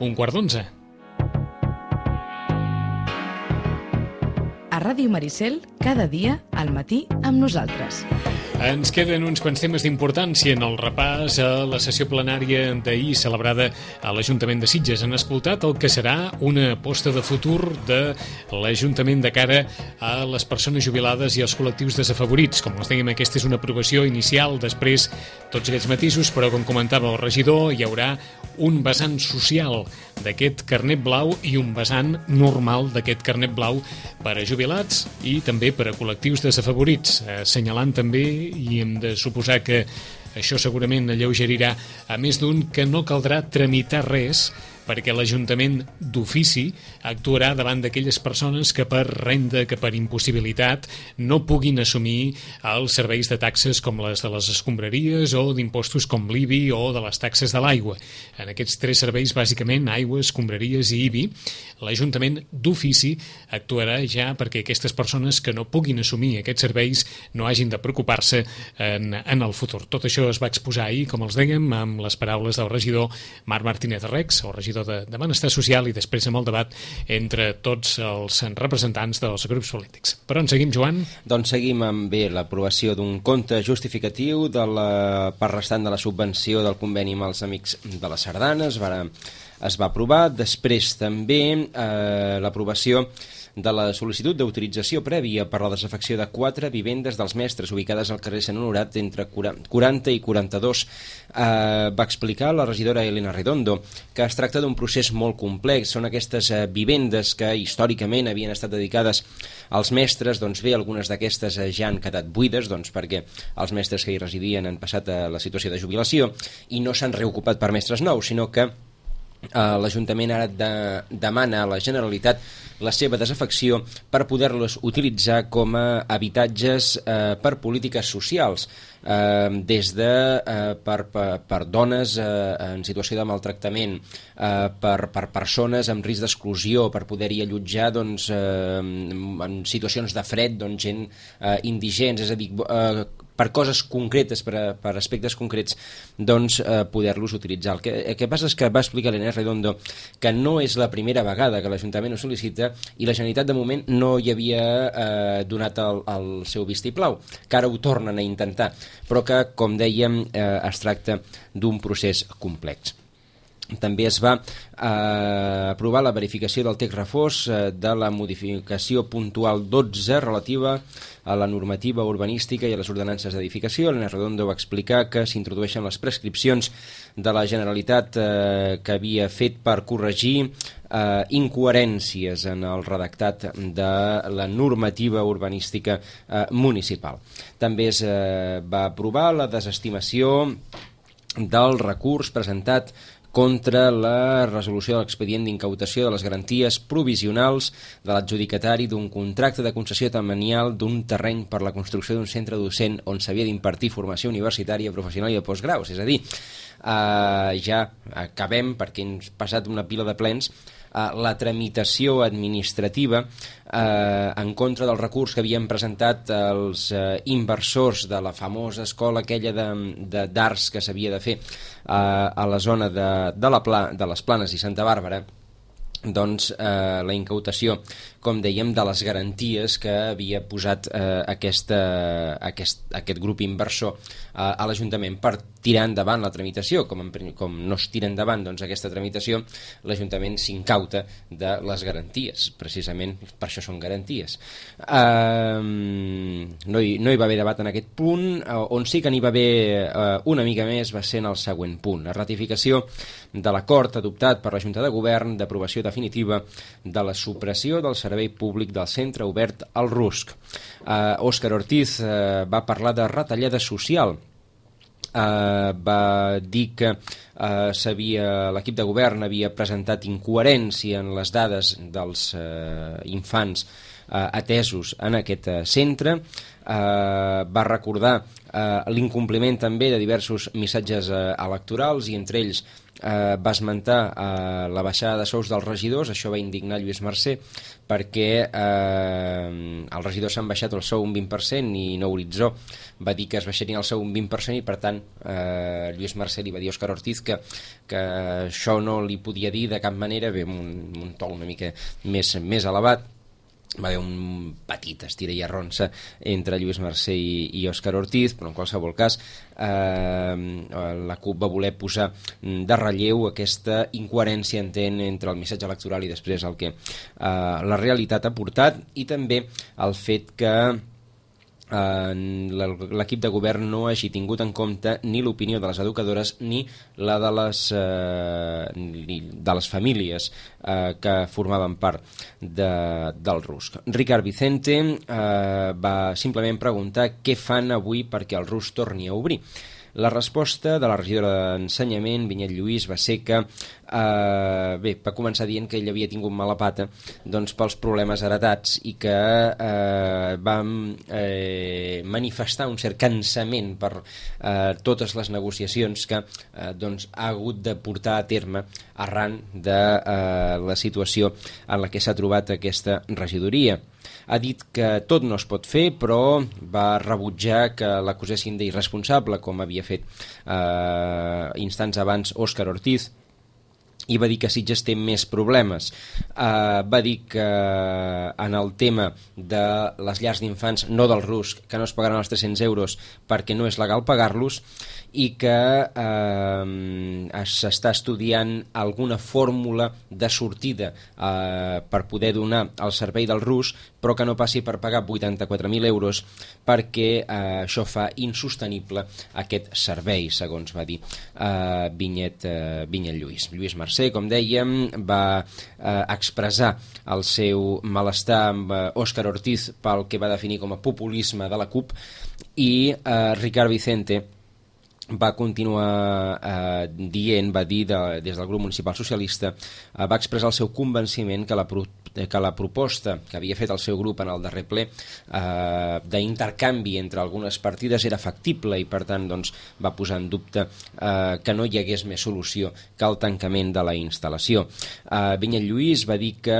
11:15. A Ràdio Maricel, cada dia, al matí, amb nosaltres. Ens queden uns quants temes d'importància en el repàs a la sessió plenària d'ahir celebrada a l'Ajuntament de Sitges. Han escoltat el que serà una aposta de futur de l'Ajuntament de cara a les persones jubilades i als col·lectius desafavorits. Com els dèiem, aquesta és una aprovació inicial, després tots aquests matisos, però com comentava el regidor, hi haurà un vessant social d'aquest carnet blau i un vessant normal d'aquest carnet blau per a jubilats i també per a col·lectius desafavorits, assenyalant també, i hem de suposar que això segurament alleugerirà a més d'un, que no caldrà tramitar res perquè l'Ajuntament d'ofici actuarà davant d'aquelles persones que per renda, que per impossibilitat no puguin assumir els serveis de taxes com les de les escombraries o d'impostos com l'IBI o de les taxes de l'aigua. En aquests tres serveis, bàsicament, aigua, escombraries i IBI, l'Ajuntament d'ofici actuarà ja perquè aquestes persones que no puguin assumir aquests serveis no hagin de preocupar-se en el futur. Tot això es va exposar ahir, com els dèiem, amb les paraules del regidor Marc Martínez Rex, el regidor de Benestar Social, i després amb el debat entre tots els representants dels grups polítics. Per on seguim, Joan? Doncs seguim amb l'aprovació d'un compte justificatiu de la part restant de la subvenció del conveni amb els Amics de la Sardana. Es va aprovar. Després també l'aprovació de la sol·licitud d'autorització prèvia per la desafecció de 4 vivendes dels mestres ubicades al carrer Sant Honorat entre 40 i 42. Va explicar la regidora Elena Redondo que es tracta d'un procés molt complex. Són aquestes vivendes que històricament havien estat dedicades als mestres. Doncs bé, algunes d'aquestes ja han quedat buides, doncs perquè els mestres que hi residien han passat a la situació de jubilació i no s'han reocupat per mestres nous, sinó que l'Ajuntament ara demana a la Generalitat la seva desafecció per poder-los utilitzar com a habitatges per polítiques socials, des de per dones en situació de maltractament, per persones amb risc d'exclusió, per poder-hi allotjar en situacions de fred, gent indigents, és a dir, per coses concretes, per aspectes concrets, poder-los utilitzar. El que passa és que va explicar l'Elena Redondo que no és la primera vegada que l'Ajuntament ho sol·licita i la Generalitat de moment no hi havia donat el seu vistiplau, que ara ho tornen a intentar, però que, com dèiem, es tracta d'un procés complex. També es va aprovar la verificació del text refós de la modificació puntual 12 relativa a la normativa urbanística i a les ordenances d'edificació. Elena Redondo va explicar que s'introdueixen les prescripcions de la Generalitat que havia fet per corregir incoherències en el redactat de la normativa urbanística municipal. També es va aprovar la desestimació del recurs presentat contra la resolució de l'expedient d'incautació de les garanties provisionals de l'adjudicatari d'un contracte de concessió temanial d'un terreny per la construcció d'un centre docent on s'havia d'impartir formació universitària, professional i de postgraus. És a dir, ja acabem, perquè hem passat una pila de plens, la tramitació administrativa en contra del recurs que havien presentat els inversors de la famosa escola aquella d'arts que s'havia de fer a la zona de les Planes i Santa Bàrbara. Doncs la incautació, com dèiem, de les garanties que havia posat aquest grup inversor a l'Ajuntament per tirar endavant la tramitació. Com no es tira endavant aquesta tramitació, l'Ajuntament s'incauta de les garanties. Precisament per això són garanties. No hi va haver debat en aquest punt. On sí que n'hi va haver una mica més va ser en el següent punt, la ratificació de l'acord adoptat per la Junta de Govern d'aprovació definitiva de la supressió del servei públic del centre obert al Rusc. Òscar Ortiz va parlar de retallada social. Va dir que l'equip de govern havia presentat incoherència en les dades dels infants atesos en aquest centre. Va recordar l'incompliment també de diversos missatges electorals i entre ells va esmentar la baixada de sous dels regidors. Això va indignar Lluís Mercè perquè els regidors s'han baixat el sou un 20% i Nou Horitzó va dir que es baixarien el sou un 20% i per tant Lluís Mercè li va dir a Òscar Ortiz que això no li podia dir de cap manera, bé, un to una mica més elevat. Va haver un petit estira i arronsa entre Lluís Mercè i Òscar Ortiz, però en qualsevol cas la CUP va voler posar de relleu aquesta incoherència entre el missatge electoral i després el que la realitat ha portat, i també el fet que l'equip de govern no hagi tingut en compte ni l'opinió de les educadores ni la de les famílies que formaven part del RUSC. Ricard Vicente va simplement preguntar què fan avui perquè el RUSC torni a obrir. La resposta de la regidora d'Ensenyament, Vinyet Lluís, va ser que va començar dient que ell havia tingut mala pata pels problemes heretats i que va manifestar un cert cansament per totes les negociacions que ha hagut de portar a terme arran de la situació en la que s'ha trobat aquesta regidoria. Ha dit que tot no es pot fer, però va rebutjar que l'acusessin d'irresponsable, com havia fet instants abans Òscar Ortiz, i va dir que Sitges té més problemes. Va dir que en el tema de les llars d'infants, no del RUSC, que no es pagaran els 300 euros perquè no és legal pagar-los, i que s'està estudiant alguna fórmula de sortida per poder donar el servei del RUSC, però que no passi per pagar 84.000 euros perquè això fa insostenible aquest servei, segons va dir Vinyet Lluís. Lluís Mercè, com dèiem, va expressar el seu malestar amb Òscar Ortiz pel que va definir com a populisme de la CUP, i Ricard Vicente va continuar va dir des del grup municipal socialista, va expressar el seu convenciment que la proposta que havia fet el seu grup en el darrer ple d'intercanvi entre algunes partides era factible i per tant va posar en dubte que no hi hagués més solució que el tancament de la instal·lació. Vinyet Lluís va dir que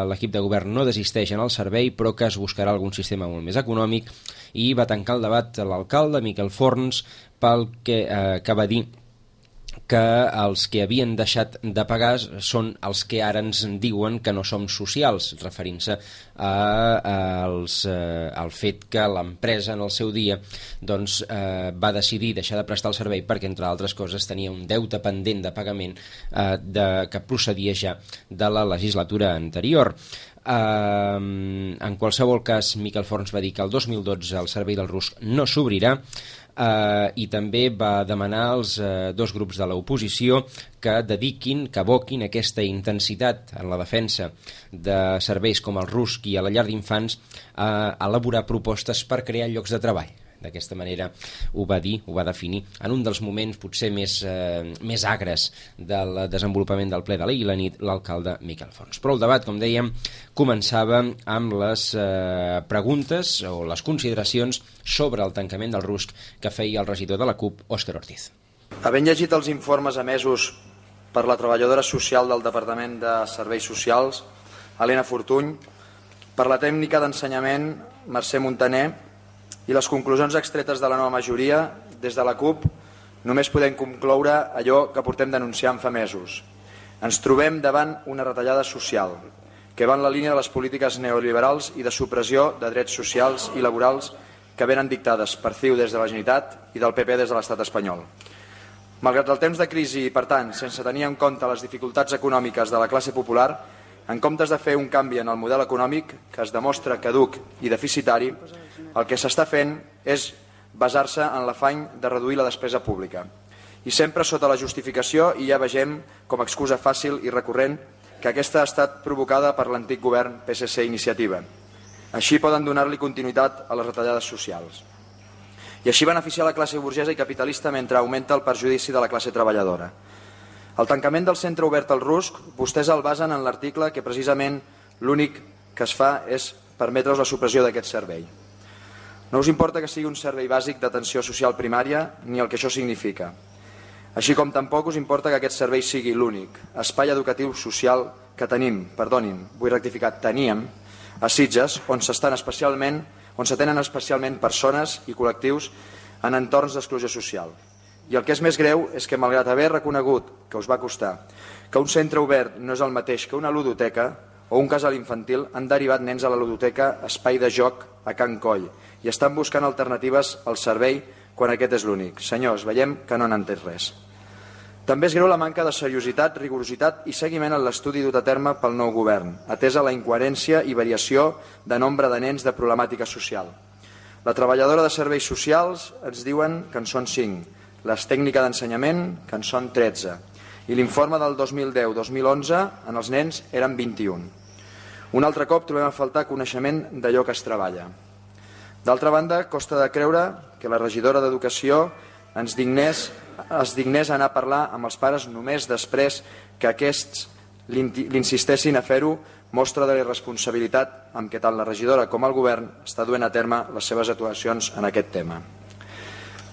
l'equip de govern no desisteix en el servei però que es buscarà algun sistema molt més econòmic, i va tancar el debat l'alcalde Miquel Forns que va dir que els que havien deixat de pagar són els que ara ens diuen que no som socials, referint-se al fet que l'empresa en el seu dia va decidir deixar de prestar el servei perquè, entre altres coses, tenia un deute pendent de pagament que procedia ja de la legislatura anterior. En qualsevol cas, Miquel Forns va dir que el 2012 el servei del RUSC no s'obrirà, i també va demanar als dos grups de l'oposició que aboquin aquesta intensitat en la defensa de serveis com el RUSC i a la llar d'infants a elaborar propostes per crear llocs de treball. D'aquesta manera ho va dir, ho va definir en un dels moments potser més agres del desenvolupament del ple de l'ahir la nit l'alcalde Miquel Forns. Però el debat, com dèiem, començava amb les preguntes o les consideracions sobre el tancament del RUSC que feia el regidor de la CUP, Òscar Ortiz. Havent llegit els informes emesos per la treballadora social del Departament de Serveis Socials, Helena Fortuny, per la tècnica d'ensenyament, Mercè Montaner, i les conclusions extretes de la nova majoria, des de la CUP només podem concloure allò que portem denunciant fa mesos. Ens trobem davant una retallada social que va en la línia de les polítiques neoliberals i de supressió de drets socials i laborals que venen dictades per CiU des de la Generalitat i del PP des de l'estat espanyol. Malgrat el temps de crisi i, per tant, sense tenir en compte les dificultats econòmiques de la classe popular, en comptes de fer un canvi en el model econòmic que es demostra caduc i deficitari, el que s'està fent és basar-se en l'afany de reduir la despesa pública. I sempre sota la justificació, i ja vegem com a excusa fàcil i recurrent, que aquesta ha estat provocada per l'antic govern PSC-Iniciativa. Així poden donar-li continuïtat a les retallades socials. I així beneficiar la classe burgesa i capitalista mentre augmenta el perjudici de la classe treballadora. El tancament del centre obert al RUSC, vostès el basen en l'article que precisament l'únic que es fa és permetre's la supressió d'aquest servei. No us importa que sigui un servei bàsic d'atenció social primària ni el que això significa. Així com tampoc us importa que aquest servei sigui l'únic espai educatiu social que teníem a Sitges, on s'atenen especialment persones i col·lectius en entorns d'exclusió social. I el que és més greu és que, malgrat haver reconegut, que us va costar, que un centre obert no és el mateix que una ludoteca o un casal infantil, han derivat nens a la ludoteca Espai de Joc a Can Coll i estan buscant alternatives al servei quan aquest és l'únic. Senyors, veiem que no n'han entès res. També és greu la manca de seriositat, rigorositat i seguiment en l'estudi dut a terme pel nou govern, atesa la incoherència i variació de nombre de nens de problemàtica social. La treballadora de serveis socials ens diuen que en són 5, les tècniques d'ensenyament que en són 13, i l'informe del 2010-2011 en els nens eren 21. Un altre cop trobem a faltar coneixement d'allò que es treballa. D'altra banda, costa de creure que la regidora d'Educació es dignés a anar a parlar amb els pares només després que aquests l'insistessin a fer-ho, mostra de la irresponsabilitat amb què tant la regidora com el govern està duent a terme les seves actuacions en aquest tema.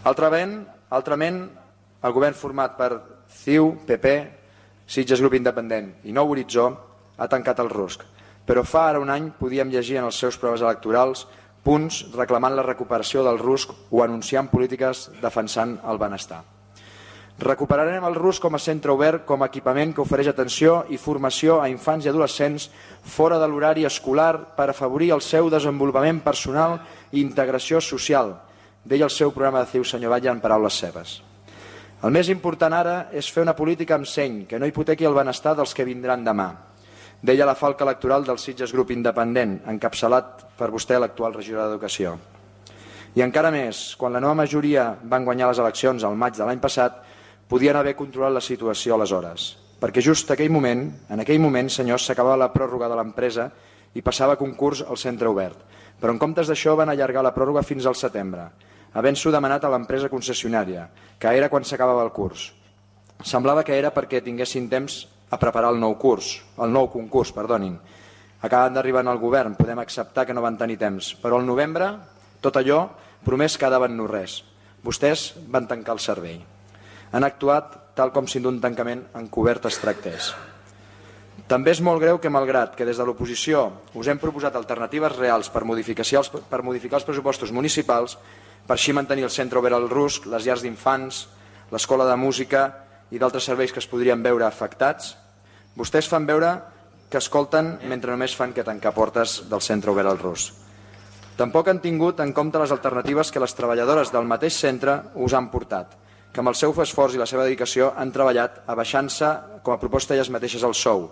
Altrament, el govern format per CiU, PP, Sitges Grup Independent i Nou Horitzó ha tancat el RUSC, però fa ara un any podíem llegir en els seus proves electorals punts reclamant la recuperació del RUSC o anunciant polítiques defensant el benestar. Recuperarem el RUSC com a centre obert, com a equipament que ofereix atenció i formació a infants i adolescents fora de l'horari escolar per afavorir el seu desenvolupament personal i integració social, deia el seu programa de CiU, senyor Batlle, en paraules seves. El més important ara és fer una política amb seny, que no hipotequi el benestar dels que vindran demà, deia la falca electoral del Sitges Grup Independent, encapçalat per vostè, l'actual regidor d'Educació. I encara més, quan la nova majoria van guanyar les eleccions al maig de l'any passat, podien haver controlat la situació aleshores, perquè just en aquell moment, senyors, s'acabava la pròrroga de l'empresa i passava a concurs al centre obert. Però en comptes d'això van allargar la pròrroga fins al setembre, havent-s'ho demanat a l'empresa concessionària, que era quan s'acabava el curs. Semblava que era perquè tinguessin temps a preparar el nou concurs. Acaben d'arribar al govern, podem acceptar que no van tenir temps, però al novembre tot allò promès quedava en no res. Vostès van tancar el servei. Han actuat tal com si d'un tancament encobert es tractés. També és molt greu que, malgrat que des de l'oposició us hem proposat alternatives reals per modificar els pressupostos municipals, per així mantenir el centre obert al RUSC, les llars d'infants, l'escola de música i d'altres serveis que es podrien veure afectats, vostès fan veure que escolten mentre només fan que tancar portes del centre obert al RUSC. Tampoc han tingut en compte les alternatives que les treballadores del mateix centre us han portat, que amb el seu esforç i la seva dedicació han treballat abaixant-se com a proposta elles mateixes el sou.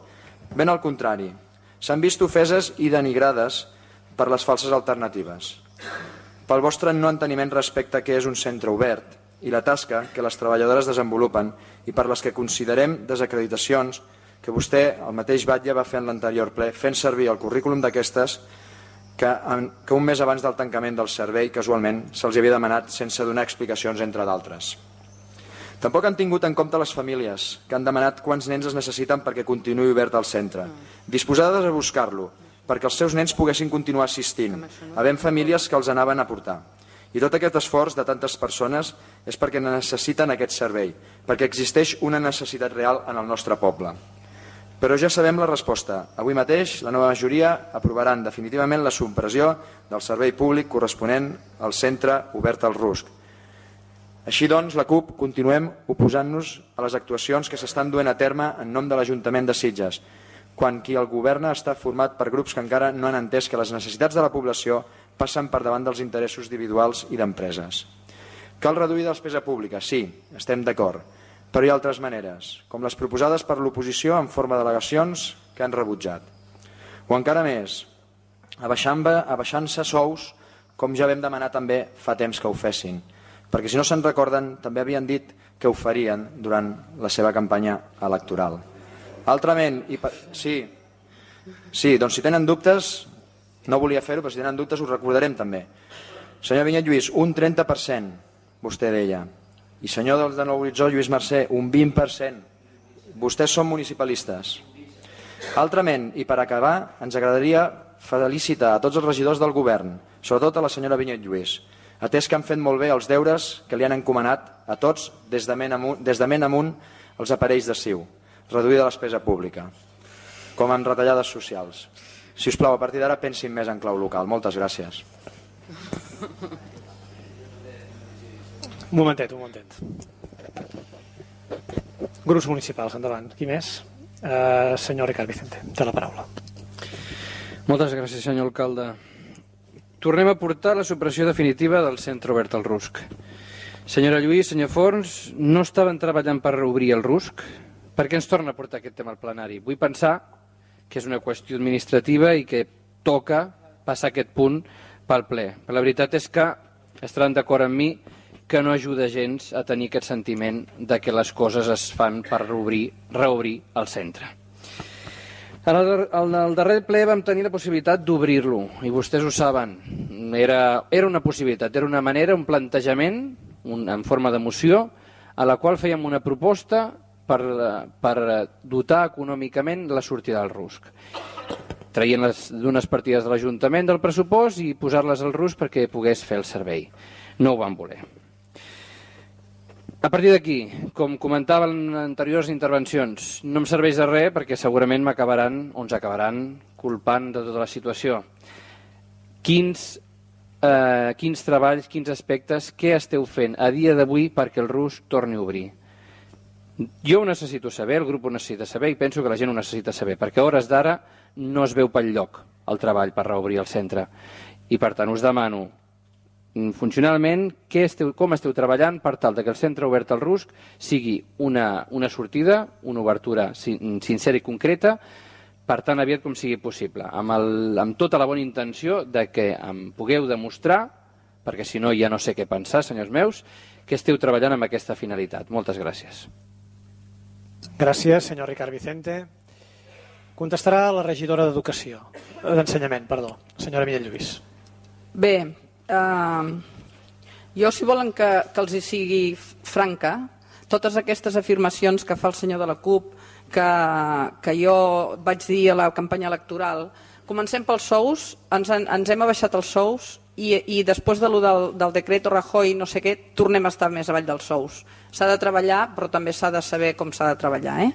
Ben al contrari, s'han vist ofeses i denigrades per les falses alternatives, pel vostre no enteniment respecte a què és un centre obert i la tasca que les treballadores desenvolupen i per les que considerem desacreditacions que vostè, el mateix Batlle, va fer en l'anterior ple, fent servir el currículum d'aquestes que un mes abans del tancament del servei, casualment, se'ls havia demanat sense donar explicacions, entre d'altres. Tampoc han tingut en compte les famílies, que han demanat quants nens es necessiten perquè continuï obert el centre, disposades a buscar-lo, perquè els seus nens poguessin continuar assistint, havent famílies que els anaven a portar. I tot aquest esforç de tantes persones és perquè necessiten aquest servei, perquè existeix una necessitat real en el nostre poble. Però ja sabem la resposta. Avui mateix la nova majoria aprovaran definitivament la supressió del servei públic corresponent al centre obert al RUSC. Així doncs, la CUP continuem oposant-nos a les actuacions que s'estan duent a terme en nom de l'Ajuntament de Sitges, quan qui el governa està format per grups que encara no han entès que les necessitats de la població passen per davant dels interessos individuals i d'empreses. Cal reduir la despesa pública, sí, estem d'acord, però hi ha altres maneres, com les proposades per l'oposició en forma de delegacions que han rebutjat. O encara més, abaixant-se sous, com ja vam demanar també fa temps que ho fessin, perquè si no se'n recorden també havien dit que ho farien durant la seva campanya electoral. Altrament, sí, doncs si tenen dubtes, no volia fer-ho, però si tenen dubtes us recordarem també. Senyor Vinyet Lluís, un 30%, vostè deia. I senyor de Nou Horitzó, Lluís Mercè, un 20%. Vostès són municipalistes. Altrament, i per acabar, ens agradaria felicitar a tots els regidors del govern, sobretot a la senyora Vinyet Lluís, atès que han fet molt bé els deures que li han encomanat a tots des de ment amunt els aparells de CiU, reduir la despesa pública, com en retallades socials. Si us plau, a partir d'ara pensin més en clau local. Moltes gràcies. Un momentet. Grups municipals, endavant. Qui més? Senyor Ricard Vicente, té la paraula. Moltes gràcies, senyor alcalde. Tornem a portar la supressió definitiva del centre obert al RUSC. Senyora Lluís, senyor Forns, no estaven treballant per reobrir el RUSC? Per què ens torna a portar aquest tema al plenari? Vull pensar que és una qüestió administrativa i que toca passar aquest punt pel ple. Però la veritat és que estaran d'acord amb mi que no ajuda gens a tenir aquest sentiment de que les coses es fan per reobrir el centre. En el darrer ple vam tenir la possibilitat d'obrir-lo, i vostès ho saben. Era una possibilitat, era una manera, un plantejament, en forma de moció, a la qual fèiem una proposta per dotar econòmicament la sortida del RUSC. Traient d'unes partides de l'Ajuntament del pressupost i posar-les al RUSC perquè pogués fer el servei. No ho van voler. A partir d'aquí, com comentava en anteriors intervencions, no em serveix de res perquè segurament ens acabaran culpant de tota la situació. Quins treballs, quins aspectes, què esteu fent a dia d'avui perquè el RUSC torni a obrir? Jo ho necessito saber, el grup ho necessita saber i penso que la gent ho necessita saber, perquè a hores d'ara no es veu pel lloc el treball per reobrir el centre. I per tant us demano funcionalment com esteu treballant per tal que el centre obert al RUSC sigui una sortida, una obertura sincera i concreta, per tant aviat com sigui possible, amb tota la bona intenció de que em pugueu demostrar, perquè si no ja no sé què pensar, senyors meus, que esteu treballant amb aquesta finalitat. Moltes gràcies. Gràcies, senyor Ricard Vicente. Contestarà la regidora d'Ensenyament, senyora Mireia Lluís. Bé, jo, si volen que els hi sigui franca, totes aquestes afirmacions que fa el senyor de la CUP, que jo vaig dir a la campanya electoral, comencem pels sous, ens hem abaixat els sous i després del decreto Rajoy no sé què, tornem a estar més avall dels sous. S'ha de treballar, però també s'ha de saber com s'ha de treballar.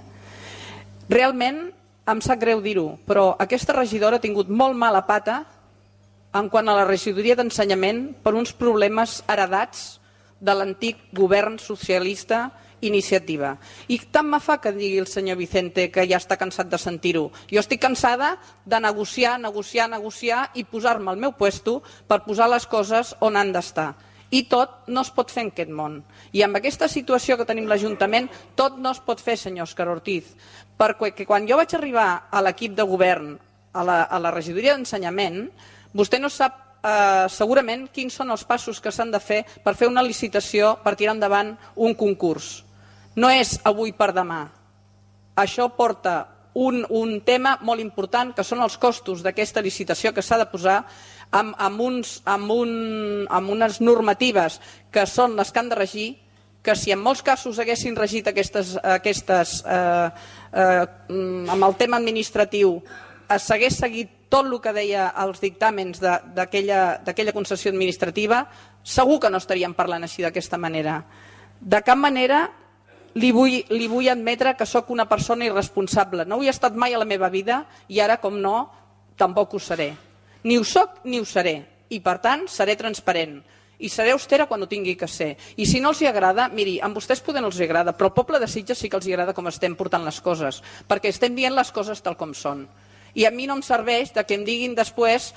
Realment, em sap greu dir-ho, però aquesta regidora ha tingut molt mala pata en quant a la regidoria d'Ensenyament per uns problemes heredats de l'antic govern socialista Iniciativa. I tant me fa que digui el senyor Vicente que ja està cansat de sentir-ho. Jo estic cansada de negociar i posar-me al meu puesto per posar les coses on han d'estar. I tot no es pot fer en aquest món. I amb aquesta situació que tenim l'Ajuntament, tot no es pot fer, senyor Òscar Ortiz. Perquè quan jo vaig arribar a l'equip de govern, a la regidoria d'Ensenyament, vostè no sap segurament quins són els passos que s'han de fer per fer una licitació, per tirar endavant un concurs. No és avui per demà. Això porta un tema molt important, que són els costos d'aquesta licitació que s'ha de posar amb unes normatives que són les que han de regir, que si en molts casos haguessin regit amb el tema administratiu s'hagués seguit tot el que deia els dictàmens d'aquella concessió administrativa, segur que no estaríem parlant així d'aquesta manera. De cap manera li vull admetre que sóc una persona irresponsable. No ho he estat mai a la meva vida i ara, com no, tampoc ho seré. Ni ho soc ni ho seré. I, per tant, seré transparent. I seré austera quan ho tingui que ser. I si no els agrada, miri, a vostès poder no els agrada, però al poble de Sitges sí que els agrada com estem portant les coses, perquè estem dient les coses tal com són. I a mi no em serveix que em diguin després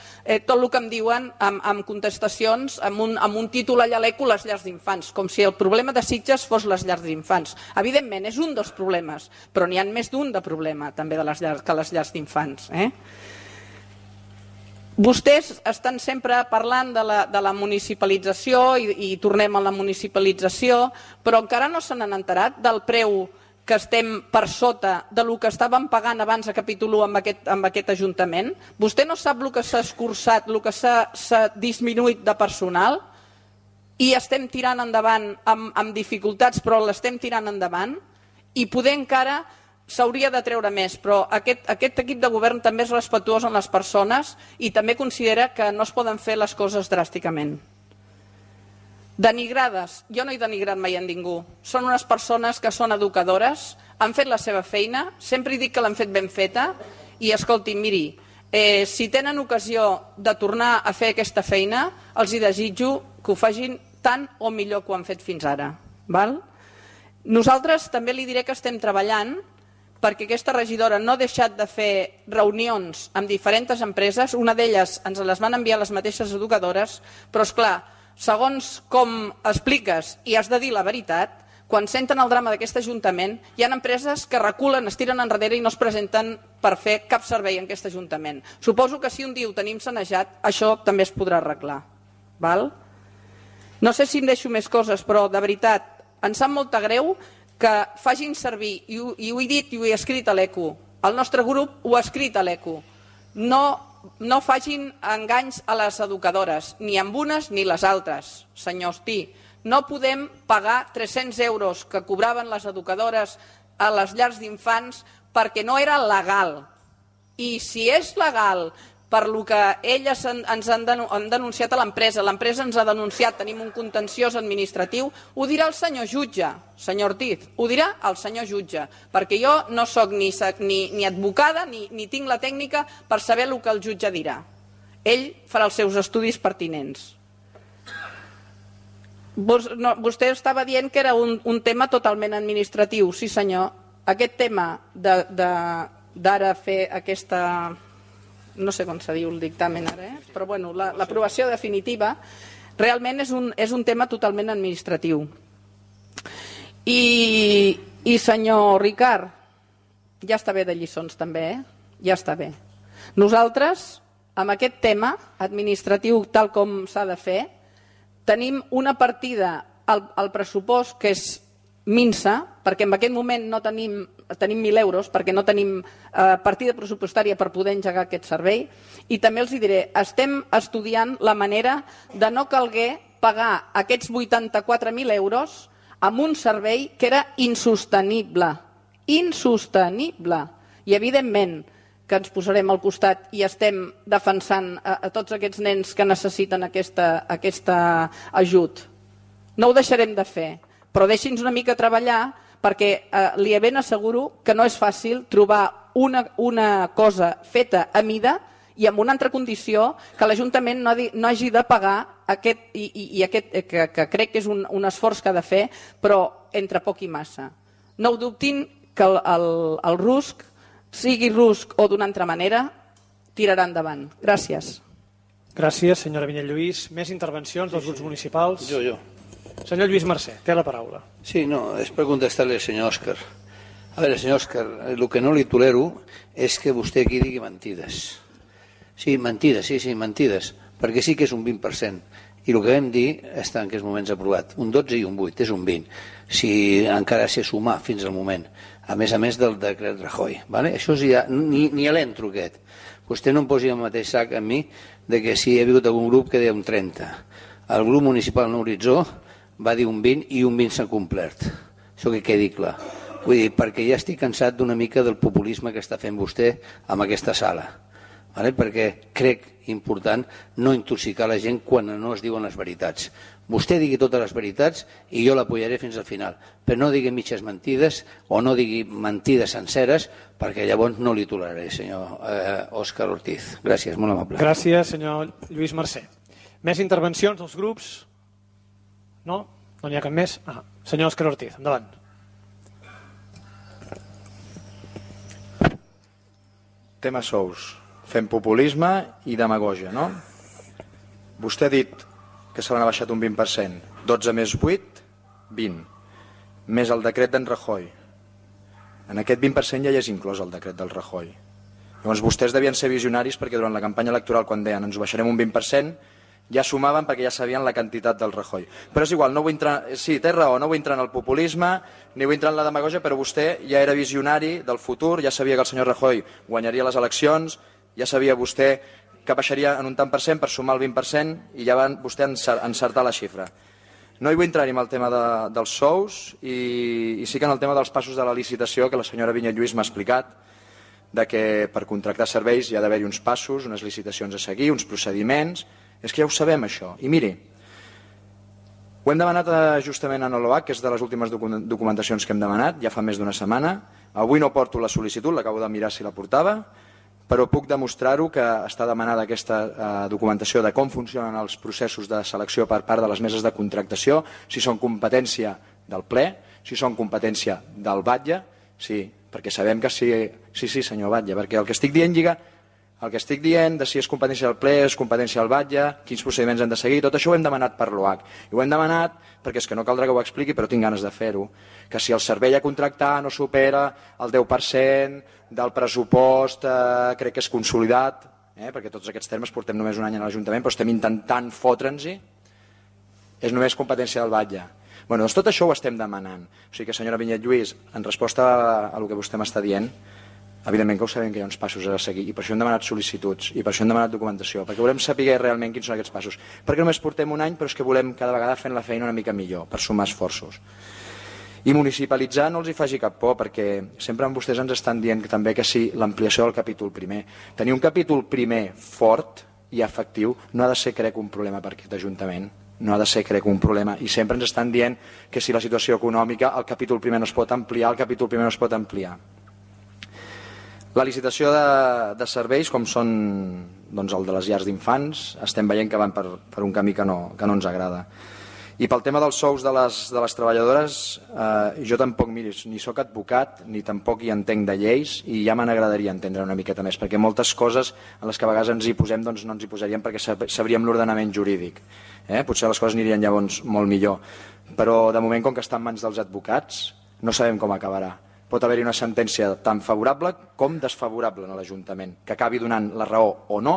tot el que em diuen amb contestacions, amb un títol allà l'eco, les llars d'infants, com si el problema de Sitges fos les llars d'infants. Evidentment, és un dels problemes, però n'hi ha més d'un de problema també que les llars d'infants. Vostès estan sempre parlant de la municipalització i tornem a la municipalització, però encara no se n'han enterat del preu que estem per sota del que estàvem pagant abans a capítol 1 amb aquest Ajuntament. Vostè no sap el que s'ha escurçat, el que s'ha disminuït de personal i estem tirant endavant amb dificultats, però l'estem tirant endavant i poder encara s'hauria de treure més, però aquest equip de govern també és respectuós amb les persones i també considera que no es poden fer les coses dràsticament. Denigrades, jo no he denigrat mai a ningú. Són unes persones que són educadores, han fet la seva feina, sempre dic que l'han fet ben feta, i escolti, miri, si tenen ocasió de tornar a fer aquesta feina, els hi desitjo que ho facin tant o millor que ho han fet fins ara. Val? Nosaltres també li diré que estem treballant perquè aquesta regidora no ha deixat de fer reunions amb diferents empreses, una d'elles ens les van enviar les mateixes educadores, però esclar, segons com expliques i has de dir la veritat, quan senten el drama d'aquest Ajuntament, hi ha empreses que reculen, es tiren enrere i no es presenten per fer cap servei en aquest Ajuntament. Suposo que si un dia ho tenim sanejat, això també es podrà arreglar. Val? No sé si em deixo més coses, però de veritat, em sap molta greu que facin servir, i ho he dit i ho he escrit a l'ECO, el nostre grup ho ha escrit a l'ECO, no facin enganys a les educadores, ni amb unes ni les altres, senyor Ostí. No podem pagar 300 euros que cobraven les educadores a les llars d'infants perquè no era legal. I si és legal per lo que elles ens han denunciat a l'empresa ens ha denunciat, tenim un contenciós administratiu, ho dirà el senyor jutge, senyor Ortiz, ho dirà el senyor jutge, perquè jo no sóc ni advocada ni tinc la tècnica per saber el que el jutge dirà. Ell farà els seus estudis pertinents. Vostè estava dient que era un tema totalment administratiu. Sí, senyor. Aquest tema d'ara fer aquesta... no sé com se diu el dictamen ara, però bueno, l'aprovació definitiva realment és un tema totalment administratiu. I senyor Ricard, ja està bé de lliçons també, ja està bé. Nosaltres, amb aquest tema administratiu tal com s'ha de fer, tenim una partida al pressupost que és minsa, perquè en aquest moment no tenim 1.000 euros, perquè no tenim partida pressupostària per poder engegar aquest servei, i també els diré, estem estudiant la manera de no calguer pagar aquests 84.000 euros amb un servei que era insostenible. Insostenible. I evidentment que ens posarem al costat i estem defensant a tots aquests nens que necessiten aquest ajut. No ho deixarem de fer, però deixi'ns una mica treballar perquè li ben asseguro que no és fàcil trobar una cosa feta a mida i amb una altra condició que l'Ajuntament no hagi de pagar aquest, que crec que és un esforç que ha de fer, però entre poc i massa. No ho dubtin que el RUSC, sigui RUSC o d'una altra manera, tirarà endavant. Gràcies. Gràcies, senyora Vinyet Lluís. Més intervencions dels grups municipals? Jo. Senyor Lluís Mercè, té la paraula. Sí, no, és per contestar-li al senyor Òscar. A veure, senyor Òscar, el que no li tolero és que vostè aquí digui mentides. Sí, mentides, mentides, perquè sí que és un 20%. I el que vam dir està en aquests moments aprovat. Un 12 i un 8, és un 20. Si encara s'ha sumar fins al moment. A més del decret Rajoy. Vale? Això ja, ni a l'entro aquest. Vostè no em posi el mateix sac amb mi de que si hi ha hagut algun grup que deia un 30. El grup municipal No Horitzó va dir un 20 i un 20 s'ha complert. Això que quedi clar. Vull dir, perquè ja estic cansat d'una mica del populisme que està fent vostè amb aquesta sala. Vale? Perquè crec important no intoxicar la gent quan no es diuen les veritats. Vostè digui totes les veritats i jo l'apoyaré fins al final. Però no digui mitges mentides o no digui mentides senceres perquè llavors no li toleraré, senyor Òscar Ortiz. Gràcies, molt amable. Gràcies, senyor Lluís Mercè. Més intervencions dels grups? No? No n'hi ha cap més? Senyor Òscar Ortiz, endavant. Tema sous. Fem populisme i demagògia, no? Vostè ha dit que se l'han baixat un 20%. 12 més 8, 20. Més el decret d'en Rajoy. En aquest 20% ja hi és inclòs el decret del Rajoy. Llavors vostès devien ser visionaris perquè durant la campanya electoral, quan deien ens ho baixarem un 20%, ja sumaven perquè ja sabien la quantitat del Rajoy. Però és igual, no vull entrar... Sí, té raó, no vull entrar en el populisme, ni vull entrar en la demagògia, però vostè ja era visionari del futur, ja sabia que el senyor Rajoy guanyaria les eleccions, ja sabia vostè que baixaria en un tant per cent per sumar el 20% i ja va vostè encertar la xifra. No hi vull entrar ni en el tema dels sous i sí que en el tema dels passos de la licitació que la senyora Vinyet Lluís m'ha explicat, de que per contractar serveis hi ha d'haver-hi uns passos, unes licitacions a seguir, uns procediments. És que ja ho sabem, això. I miri, Ho hem demanat justament a l'OAC, que és de les últimes documentacions que hem demanat, ja fa més d'una setmana. Avui no porto la sol·licitud, l'acabo de mirar si la portava, però puc demostrar-ho que està demanada aquesta documentació de com funcionen els processos de selecció per part de les meses de contractació, si són competència del ple, si són competència del batlle, sí, perquè sabem que sí, senyor batlle, perquè el que estic dient lliga el que estic dient de si és competència del ple, és competència del batlle, quins procediments han de seguir, tot això ho hem demanat per l'OAC. I ho hem demanat perquè és que no caldrà que ho expliqui, però tinc ganes de fer-ho. Que si el servei a contractar no supera el 10% del pressupost, crec que és consolidat, perquè tots aquests termes portem només un any a l'Ajuntament, però estem intentant fotre'ns-hi, és només competència del batlle. Bé, doncs tot això ho estem demanant. O sigui que, senyora Vinyet Lluís, en resposta a el que vostè m'està dient, evidentment que ho sabem que hi ha uns passos a seguir i per això hem demanat sol·licituds i per això hem demanat documentació, perquè volem saber realment quins són aquests passos. Perquè només portem un any, però és que volem cada vegada fent la feina una mica millor, per sumar esforços. I municipalitzar no els hi faci cap por, perquè sempre vostès ens estan dient que també que sí, l'ampliació del capítol primer. Tenir un capítol primer fort i efectiu no ha de ser, crec, un problema per aquest Ajuntament. No ha de ser, crec, un problema. I sempre ens estan dient que si la situació econòmica, el capítol primer no es pot ampliar, el capítol primer no es pot ampliar. La licitació de serveis, com són doncs, el de les llars d'infants, estem veient que van per un camí que no ens agrada. I pel tema dels sous de les treballadores, jo tampoc, miri, ni sóc advocat, ni tampoc hi entenc de lleis, i ja me n'agradaria entendre una miqueta més, perquè moltes coses en les que a vegades ens hi posem doncs no ens hi posaríem perquè sabríem l'ordenament jurídic. Potser les coses anirien llavors molt millor. Però de moment, com que està en mans dels advocats, no sabem com acabarà. Pot haver-hi una sentència tan favorable com desfavorable a l'Ajuntament, que acabi donant la raó o no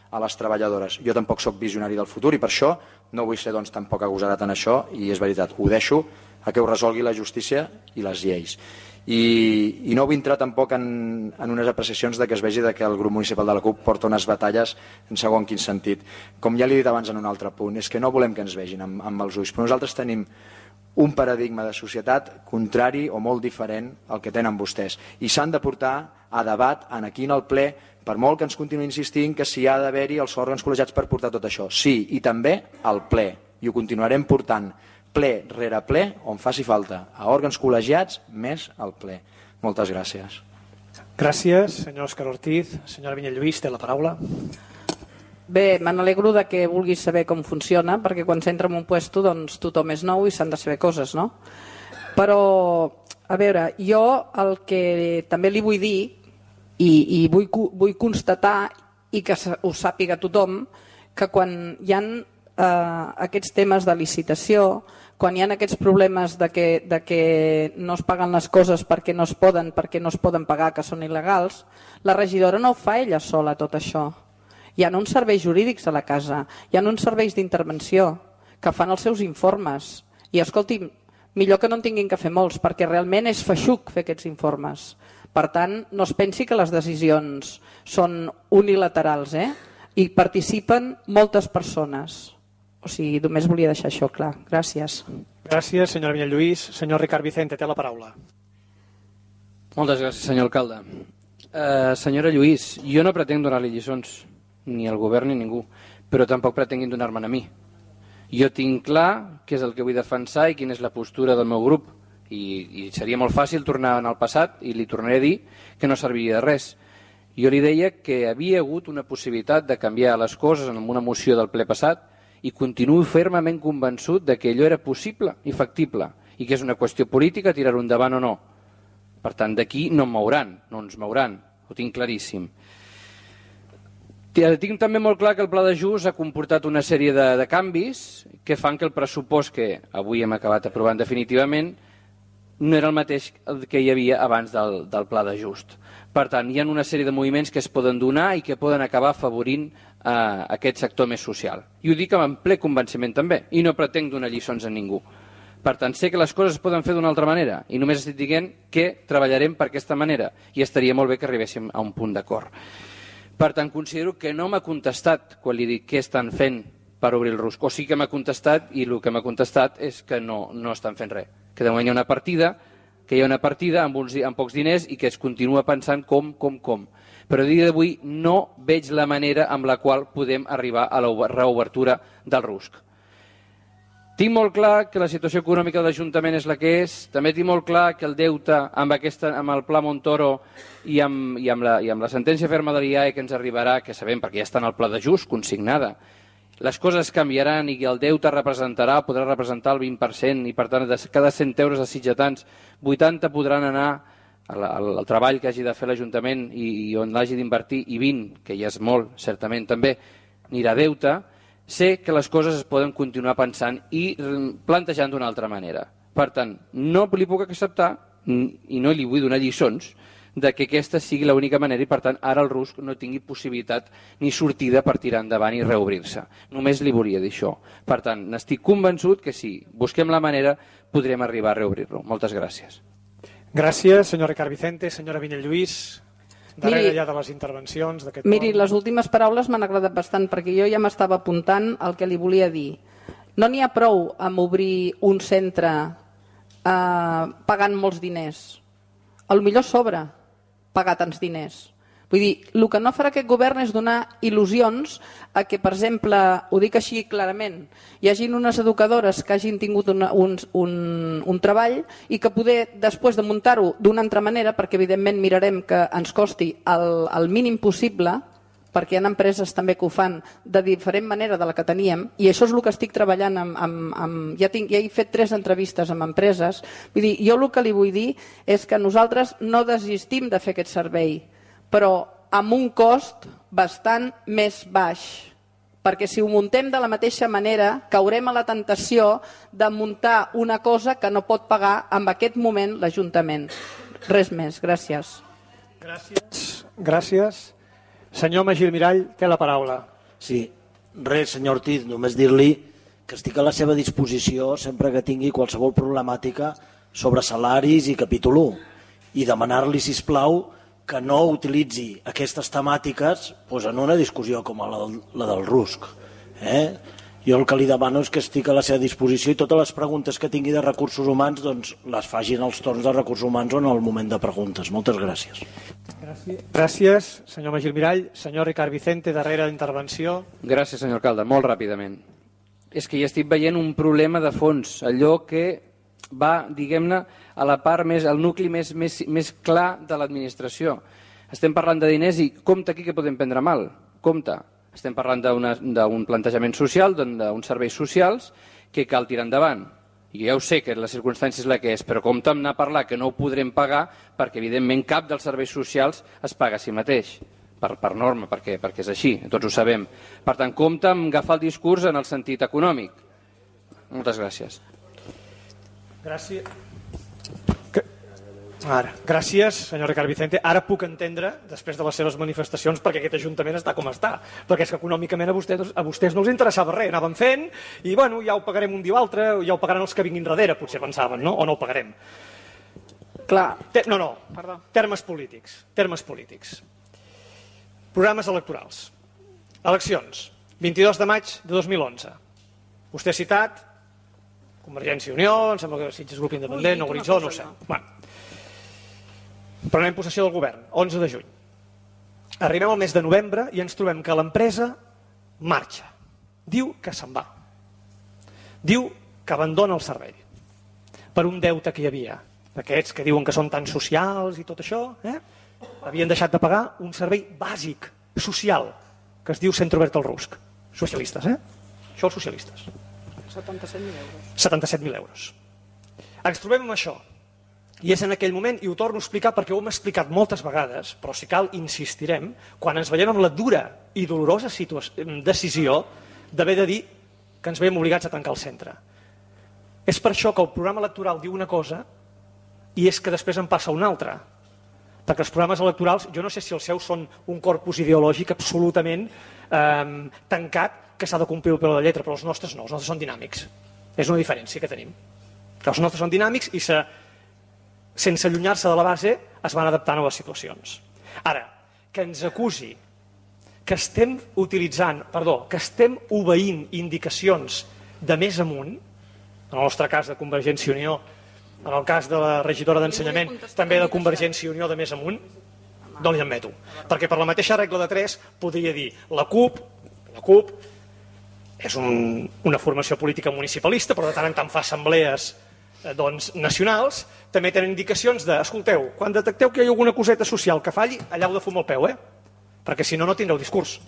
a les treballadores. Jo tampoc sóc visionari del futur i per això no vull ser tampoc agosarat en això, i és veritat, ho deixo a que ho resolgui la justícia i les lleis. I no vull entrar tampoc en unes apreciacions de que es vegi que el grup municipal de la CUP porta unes batalles en segon quin sentit. Com ja li he dit abans en un altre punt, és que no volem que ens vegin amb els ulls, però nosaltres tenim un paradigma de societat contrari o molt diferent al que tenen vostès. I s'han de portar a debat aquí en el ple, per molt que ens continuï insistint que si ha d'haver-hi els òrgans col·legiats per portar tot això. Sí, i també al ple. I ho continuarem portant ple rere ple, on faci falta, a òrgans col·legiats més al ple. Moltes gràcies. Gràcies, senyor Òscar Ortiz. Senyora Vinyet Lluís, té la paraula. Bé, me n'alegro que vulguis saber com funciona, perquè quan s'entra en un puesto doncs tothom és nou i s'han de saber coses, no? Però, a veure, jo el que també li vull dir i vull constatar i que ho sàpiga tothom, que quan hi ha aquests temes de licitació, quan hi ha aquests problemes de que no es paguen les coses perquè no es poden pagar, que són il·legals, la regidora no ho fa ella sola tot això. Hi ha uns serveis jurídics a la casa, hi ha uns serveis d'intervenció que fan els seus informes. I escolti, millor que no en tinguin que fer molts, perquè realment és feixuc fer aquests informes. Per tant, no es pensi que les decisions són unilaterals, i participen moltes persones. O sigui, només volia deixar això clar. Gràcies. Gràcies, senyora Vinyet Lluís. Senyor Ricard Vicente, té la paraula. Moltes gràcies, senyor alcalde. Senyora Lluís, jo no pretenc donar-li lliçons, ni al govern ni a ningú, però tampoc pretenguin donar-me'n a mi. Jo tinc clar què és el que vull defensar i quina és la postura del meu grup, i seria molt fàcil tornar en el passat i li tornaré a dir que no serviria de res. Jo li deia que havia hagut una possibilitat de canviar les coses en una moció del ple passat i continuo fermament convençut de que allò era possible i factible i que és una qüestió política tirar-ho endavant o no. Per tant, d'aquí no ens mouran, ho tinc claríssim. Tinc també molt clar que el pla d'ajust ha comportat una sèrie de canvis que fan que el pressupost que avui hem acabat aprovant definitivament no era el mateix que hi havia abans del pla d'ajust. Per tant, hi ha una sèrie de moviments que es poden donar i que poden acabar afavorint aquest sector més social. I ho dic amb ple convenciment també, i no pretenc donar lliçons a ningú. Per tant, sé que les coses es poden fer d'una altra manera i només estic dient que treballarem per aquesta manera i estaria molt bé que arribéssim a un punt d'acord. Per tant, considero que no m'ha contestat quan li dic què estan fent per obrir el RUSC. O sí que m'ha contestat i el que m'ha contestat és que no estan fent res. Que de moment hi ha una partida amb pocs diners i que es continua pensant com. Però a dia d'avui no veig la manera amb la qual podem arribar a la reobertura del RUSC. Tinc molt clar que la situació econòmica de l'Ajuntament és la que és. També tinc molt clar que el deute amb el Pla Montoro i amb la sentència ferma de l'IAE que ens arribarà, que sabem perquè ja està en el pla d'ajust consignada, les coses canviaran i el deute podrà representar el 20% i per tant de cada 100 euros de sitgetans 80 podran anar al treball que hagi de fer l'Ajuntament i on l'hagi d'invertir i 20, que ja és molt, certament també, anirà a deute. Sé que les coses es poden continuar pensant i plantejant d'una altra manera. Per tant, no li puc acceptar i no li vull donar lliçons de que aquesta sigui l'única manera i, per tant, ara el RUSC no tingui possibilitat ni sortida per tirar endavant i reobrir-se. Només li volia dir això. Per tant, n'estic convençut que si busquem la manera podrem arribar a reobrir-lo. Moltes gràcies. Gràcies, senyor Ricard Vicente. Senyora Vinyet Lluís, darrere ja de les intervencions d'aquest Miri, les últimes paraules m'han agradat bastant perquè jo ja m'estava apuntant el que li volia dir. No n'hi ha prou amb obrir un centre pagant molts diners. Potser sobra pagar tants diners. Vull dir, el que no farà aquest govern és donar il·lusions a que, per exemple, ho dic així clarament, hi hagin unes educadores que hagin tingut un treball i que poder, després de muntar-ho d'una altra manera, perquè evidentment mirarem que ens costi el mínim possible, perquè hi ha empreses també que ho fan de diferent manera de la que teníem, i això és el que estic treballant ja he fet 3 entrevistes amb empreses. Vull dir, jo el que li vull dir és que nosaltres no desistim de fer aquest servei, però amb un cost bastant més baix, perquè si ho muntem de la mateixa manera caurem a la tentació de muntar una cosa que no pot pagar en aquest moment l'Ajuntament. Res més, gràcies. Gràcies. Senyor Magí Mirall, té la paraula. Sí, res, senyor Ortiz, només dir-li que estic a la seva disposició sempre que tingui qualsevol problemàtica sobre salaris i capítol 1 i demanar-li, sisplau, que no utilitzi aquestes temàtiques en una discussió com la del RUSC. Jo el que li demano és que estic a la seva disposició i totes les preguntes que tingui de recursos humans les facin als torns de recursos humans o en el moment de preguntes. Moltes gràcies. Gràcies, senyor Magí Mirall. Senyor Ricard Vicente, darrera d'intervenció. Gràcies, senyor alcalde. Molt ràpidament. És que ja estic veient un problema de fons, allò que va, diguem-ne, a la part més, al nucli més clar de l'administració. Estem parlant de diners i compte aquí que podem prendre mal. Compte. Estem parlant d'un plantejament social, d'uns serveis socials que cal tirar endavant. I ja ho sé que la circumstància és la que és, però compte amb anar a parlar que no ho podrem pagar perquè, evidentment, cap dels serveis socials es paga a si mateix, per norma, perquè és així, tots ho sabem. Per tant, compte amb agafar el discurs en el sentit econòmic. Moltes gràcies. Gràcies, senyor Ricard Vicente. Ara puc entendre, després de les seves manifestacions, perquè aquest Ajuntament està com està. Perquè és que econòmicament a vostès no els interessava res. Anaven fent i ja ho pagarem un dia o altre, ja ho pagaran els que vinguin darrere, potser pensaven, no? O no ho pagarem. Clar. Perdó. Termes polítics. Programes electorals. Eleccions. 22 de maig de 2011. Vostè ha citat Convergència i Unió, em sembla que Sitges Grup Independent, Nou Horitzó, no ho sé. Prenem possessió del govern, 11 de juny. Arribem al mes de novembre i ens trobem que l'empresa marxa. Diu que se'n va. Diu que abandona el servei. Per un deute que hi havia. D'aquests que diuen que són tan socials i tot això, havien deixat de pagar un servei bàsic, social, que es diu Centre Obert al RUSC. Socialistes, Això els socialistes. 77.000 euros. 77.000 euros. Ens trobem amb això. I és en aquell moment, i ho torno a explicar perquè ho hem explicat moltes vegades, però si cal insistirem, quan ens veiem amb la dura i dolorosa decisió d'haver de dir que ens veiem obligats a tancar el centre. És per això que el programa electoral diu una cosa i és que després en passa una altra. Perquè els programes electorals, jo no sé si els seus són un corpus ideològic absolutament tancat que s'ha de complir el peu de la lletra, però els nostres no, els nostres són dinàmics. És una diferència que tenim. Els nostres són dinàmics i sense allunyar-se de la base es van adaptant a les situacions. Ara, que ens acusi que estem obeint indicacions de més amunt, en el nostre cas de Convergència i Unió, en el cas de la regidora d'Ensenyament, també de Convergència i Unió de més amunt, no li admeto. Perquè per la mateixa regla de 3 podria dir la CUP és una formació política municipalista, però de tant en tant fa assemblees nacionals, també tenen indicacions de, escolteu, quan detecteu que hi ha alguna coseta social que falli, allà heu de fumar el peu, perquè si no, no tindreu discurs.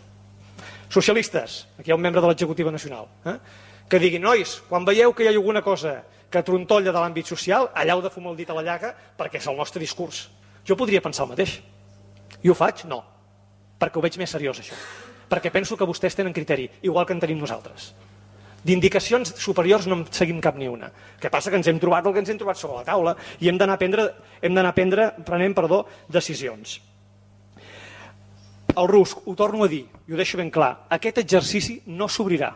Socialistes, aquí hi ha un membre de l'executiva nacional, que diguin, nois, quan veieu que hi ha alguna cosa que trontolla de l'àmbit social, allà heu de fumar el dit a la llaga perquè és el nostre discurs. Jo podria pensar el mateix. I ho faig? No. Perquè ho veig més seriós, això. Perquè penso que vostès tenen criteri, igual que en tenim nosaltres. D'indicacions superiors no en seguim cap ni una. El que passa que ens hem trobat el que ens hem trobat sobre la taula i hem d'anar prenent decisions. El RUSC, ho torno a dir, i ho deixo ben clar, aquest exercici no s'obrirà.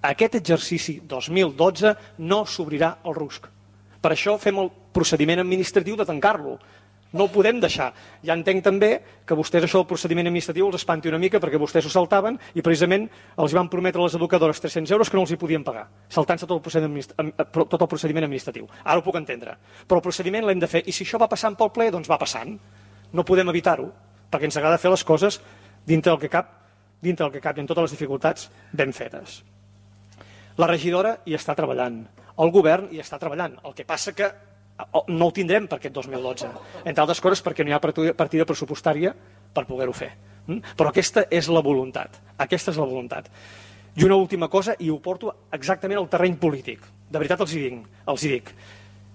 Aquest exercici 2012 no s'obrirà el RUSC. Per això fem el procediment administratiu de tancar-lo. No ho podem deixar. Ja entenc també que vostès això del procediment administratiu els espanti una mica perquè vostès ho saltaven i precisament els van prometre a les educadores 300 euros que no els hi podien pagar, saltant-se tot el procediment administratiu. Ara ho puc entendre. Però el procediment l'hem de fer i si això va passant pel ple, doncs va passant. No podem evitar-ho perquè ens agrada fer les coses dintre del que cap i amb totes les dificultats ben fetes. La regidora hi està treballant, el govern hi està treballant. El que passa que no ho tindrem per aquest 2012, entre altres coses perquè no hi ha partida pressupostària per poder-ho fer. Però aquesta és la voluntat. Aquesta és la voluntat. I una última cosa, i ho porto exactament al terreny polític. De veritat els hi dic.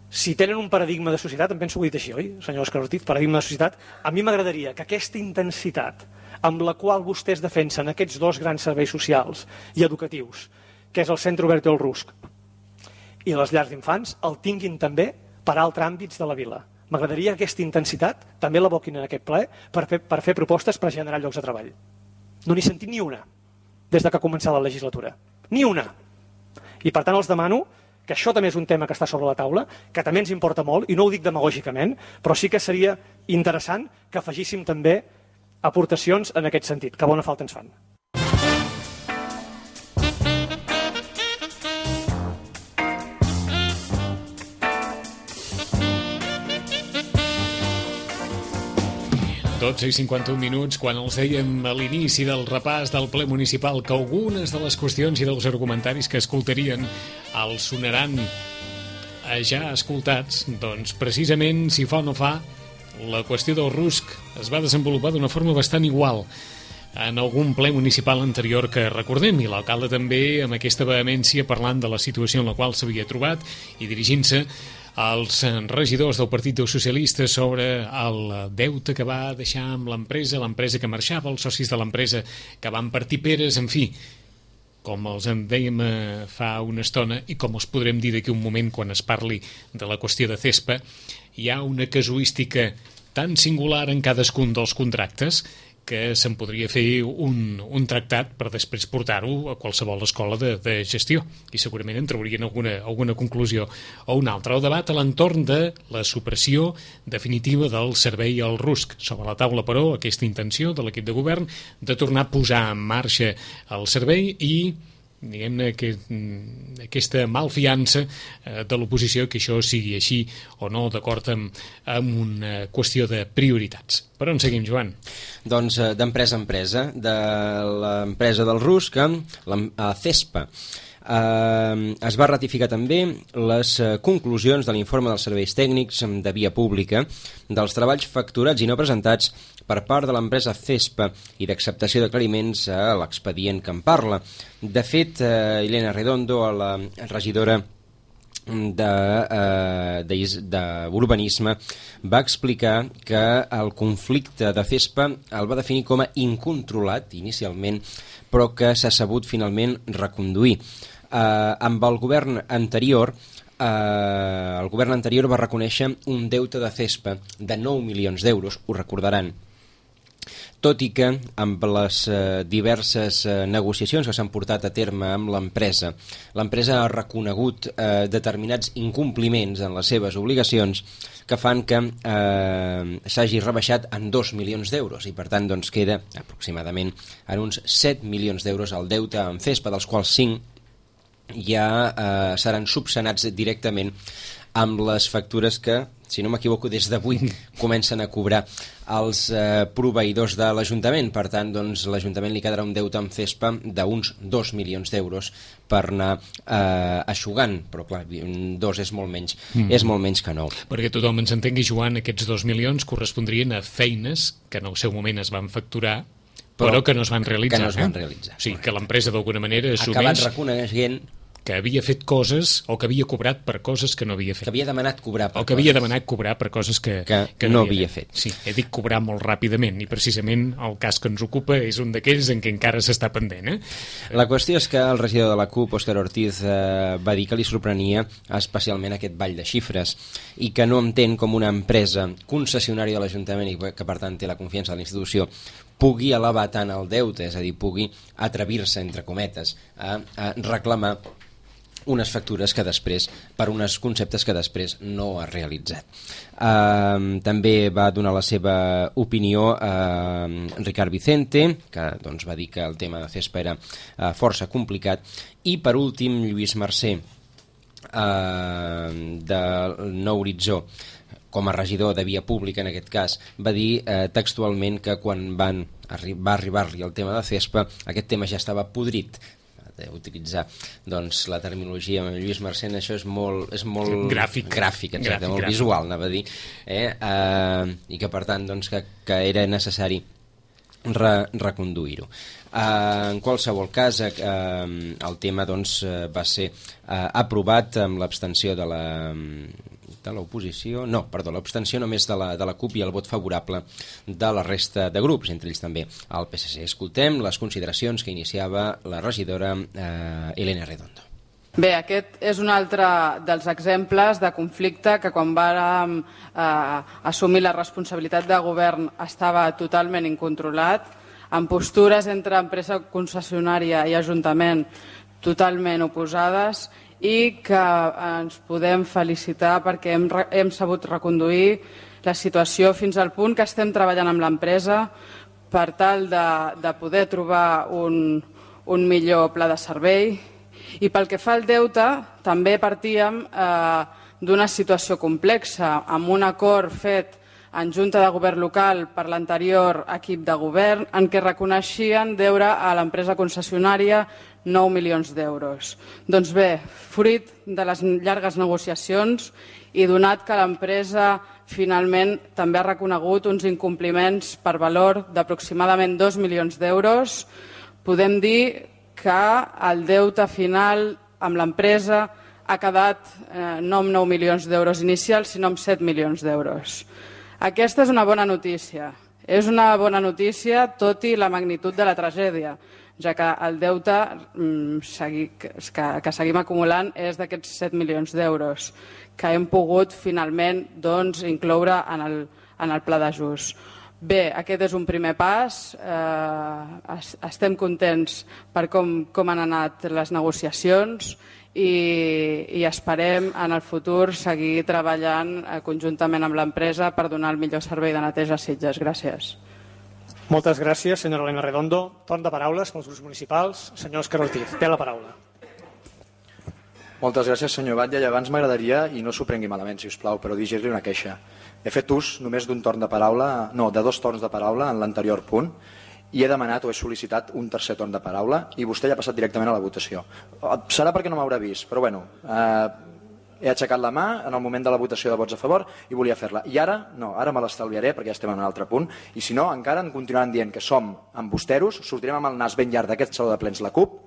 Si tenen un paradigma de societat, em penso que ho he dit així, oi, senyor Òscar Ortiz, paradigma de societat, a mi m'agradaria que aquesta intensitat amb la qual vostès defensen aquests dos grans serveis socials i educatius, que és el Centre Obert i el RUSC, i les llars d'infants, el tinguin també per altres àmbits de la vila. M'agradaria que aquesta intensitat també l'aboquin en aquest ple per fer propostes per generar llocs de treball. No n'he sentit ni una des de que ha començat la legislatura. Ni una. I per tant els demano que això també és un tema que està sobre la taula, que també ens importa molt, i no ho dic demagògicament, però sí que seria interessant que afegíssim també aportacions en aquest sentit, que bona falta ens fan. Tots i 51 minuts, quan els dèiem a l'inici del repàs del ple municipal que algunes de les qüestions i dels argumentaris que escoltarien els sonaran ja escoltats, doncs precisament, si fa o no fa, la qüestió del RUSC es va desenvolupar d'una forma bastant igual en algun ple municipal anterior que recordem, i l'alcalde també amb aquesta vehemència parlant de la situació en la qual s'havia trobat i dirigint-se als regidors del Partit dels Socialistes sobre el deute que va deixar amb l'empresa que marxava, els socis de l'empresa que van partir peres, en fi, com els en dèiem fa una estona i com els podrem dir d'aquí un moment quan es parli de la qüestió de CESPA, hi ha una casuística tan singular en cadascun dels contractes que se'n podria fer un tractat per després portar-ho a qualsevol escola de gestió i segurament en traurien alguna conclusió o una altra. El debat a l'entorn de la supressió definitiva del servei al RUSC. Sobre la taula, però, aquesta intenció de l'equip de govern de tornar a posar en marxa el servei i diguem-ne que aquesta malfiança de l'oposició que això sigui així o no, d'acord amb una qüestió de prioritats. Per on seguim, Joan? Doncs d'empresa a empresa, de l'empresa del RUSC a CESPA. Es va ratificar també les conclusions de l'informe dels serveis tècnics de via pública dels treballs facturats i no presentats per part de l'empresa CESPA i d'acceptació d'aclariments a l'expedient que en parla. De fet, Elena Redondo, la regidora d'urbanisme, va explicar que el conflicte de CESPA el va definir com a incontrolat inicialment, però que s'ha sabut finalment reconduir. Amb el govern anterior va reconèixer un deute de CESPA de 9 milions d'euros, ho recordaran, tot i que amb les diverses negociacions que s'han portat a terme amb l'empresa ha reconegut determinats incompliments en les seves obligacions que fan que s'hagi rebaixat en 2 milions d'euros i per tant doncs, queda aproximadament en uns 7 milions d'euros el deute amb CESPA, dels quals 5 ja seran subsanats directament amb les factures que si no m'equivoco, des d'avui comencen a cobrar els proveïdors de l'Ajuntament. Per tant, doncs, l'Ajuntament li quedarà un deute amb CESPA d'uns 2 milions d'euros per anar eixugant, però clar, 2 és molt menys, és molt menys que 9. Perquè tothom ens entengui, Joan, aquests 2 milions correspondrien a feines que en el seu moment es van facturar, però que no es van realitzar. Que no es van realitzar. O sigui, que l'empresa d'alguna manera assumeix... Ha acabat reconeixent que havia fet coses o que havia cobrat per coses que no havia fet. Que havia demanat cobrar per o que havia demanat cobrar per coses que no havia fet. Sí, he dit cobrar molt ràpidament i precisament el cas que ens ocupa és un d'aquells en què encara s'està pendent. La qüestió és que el regidor de la CUP, Òscar Ortiz, va dir que li sorprenia especialment aquest ball de xifres i que no entén com una empresa concessionària de l'Ajuntament i que per tant té la confiança de la institució pugui elevar tant el deute, és a dir, pugui atrevir-se, entre cometes, a reclamar unes factures que després, per uns conceptes que després no ha realitzat. També va donar la seva opinió a Ricard Vicente, que doncs, va dir que el tema de CESPA era força complicat, i per últim Lluís Mercè, de Nou Horitzó, com a regidor de Via Pública en aquest cas, va dir textualment que quan va arribar-li el tema de CESPA, aquest tema ja estava podrit. Utilitzar doncs, la terminologia amb Lluís Mercè, això és molt gràfic, exacte, molt visual, anava a dir, i que per tant doncs, que era necessari reconduir-ho. En qualsevol cas, el tema doncs, va ser aprovat amb l'abstenció de l'oposició, l'abstenció només de la CUP i el vot favorable de la resta de grups, entre ells també el PSC. Escoltem les consideracions que iniciava la regidora Elena Redondo. Bé, aquest és un altre dels exemples de conflicte que quan vàrem assumir la responsabilitat de govern estava totalment incontrolat, amb postures entre empresa concessionària i Ajuntament totalment oposades i que ens podem felicitar perquè hem sabut reconduir la situació fins al punt que estem treballant amb l'empresa per tal de poder trobar un millor pla de servei. I pel que fa al deute, també partíem d'una situació complexa, amb un acord fet en Junta de Govern local per l'anterior equip de govern, en què reconeixien deure a l'empresa concessionària 9 milions d'euros. Doncs bé, fruit de les llargues negociacions i donat que l'empresa finalment també ha reconegut uns incompliments per valor d'aproximadament 2 milions d'euros, podem dir que el deute final amb l'empresa ha quedat no amb 9 milions d'euros inicials, sinó amb 7 milions d'euros. Aquesta és una bona notícia. És una bona notícia, tot i la magnitud de la tragèdia, ja que el deute que seguim acumulant és d'aquests 7 milions d'euros, que hem pogut finalment incloure en el pla d'ajust. Bé, aquest és un primer pas. Estem contents per com han anat les negociacions i esperem en el futur seguir treballant conjuntament amb l'empresa per donar el millor servei de neteja a Sitges. Gràcies. Moltes gràcies, senyora Elena Redondo. Torn de paraules pels grups municipals. Senyor Òscar Ortiz, té la paraula. Moltes gràcies, senyor Batlle. I abans m'agradaria, i no s'ho prengui malament, si us plau, però dirigir-li una queixa. He fet ús només d'un torn de paraula, no, de 2 torns de paraula en l'anterior punt, i he demanat o he sol·licitat un tercer torn de paraula i vostè ja ha passat directament a la votació. Serà perquè no m'haurà vist, però bueno, he aixecat la mà en el moment de la votació de vots a favor i volia fer-la. I ara, no, ara me l'estalviaré perquè ja estem en un altre punt, i si no, encara en continuaran dient que som embusteros, sortirem amb el nas ben llarg d'aquest saló de plens la CUP,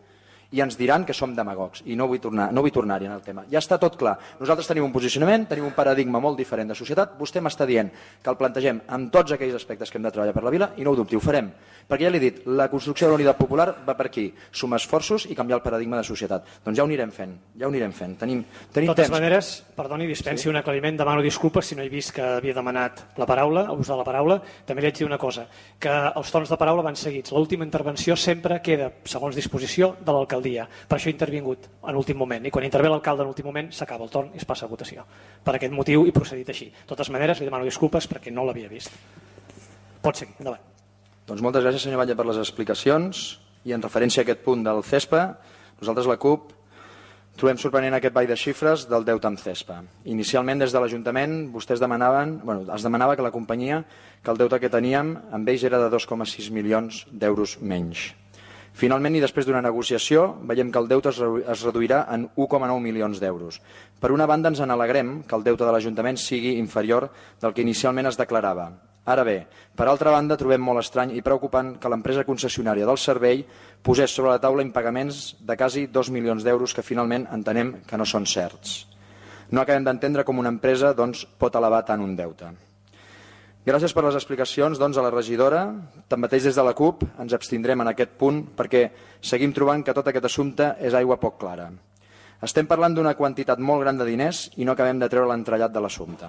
i ens diran que som demagogs, i no vull tornar-hi en el tema. Ja està tot clar. Nosaltres tenim un posicionament, tenim un paradigma molt diferent de societat. Vostè m'està dient que el plantegem amb tots aquells aspectes que hem de treballar per la vila, i no ho dubti, ho farem. Perquè ja l'he dit, la construcció de la unitat popular va per aquí, sumar esforços i canviar el paradigma de societat. Doncs ja ho anirem fent, Tenim de totes temps. maneres, perdoni, dispensi un aclariment, demano disculpes si no he vist que havia demanat la paraula, ús de la paraula. També li haig de dir una cosa, que els torns de paraula van seguits. L'última intervenció sempre queda, segons disposició, de l'alcaldia. Per això he intervingut en últim moment, i quan intervé l'alcalde en últim moment s'acaba el torn i es passa a votació. Per aquest motiu he procedit així. De totes maneres, li demano disculpes perquè no l'havia vist. Pot seguir, endavant. Doncs moltes gràcies, senyor Batlle, per les explicacions, i en referència a aquest punt del CESPA, nosaltres la CUP Trobem sorprenent aquest ball de xifres del deute amb CESPA. Inicialment, des de l'Ajuntament, es demanava que la companyia, que el deute que teníem amb ells era de 2,6 milions d'euros menys. Finalment, i després d'una negociació, veiem que el deute es reduirà en 1,9 milions d'euros. Per una banda, ens alegrem que el deute de l'Ajuntament sigui inferior del que inicialment es declarava. Ara bé, per altra banda, trobem molt estrany i preocupant que l'empresa concessionària del servei posés sobre la taula impagaments de quasi 2 milions d'euros que finalment entenem que no són certs. No acabem d'entendre com una empresa pot elevar tant un deute. Gràcies per les explicacions a la regidora. Tanmateix, des de la CUP ens abstindrem en aquest punt perquè seguim trobant que tot aquest assumpte és aigua poc clara. Estem parlant d'una quantitat molt gran de diners i no acabem de treure l'entrellat de l'assumpte.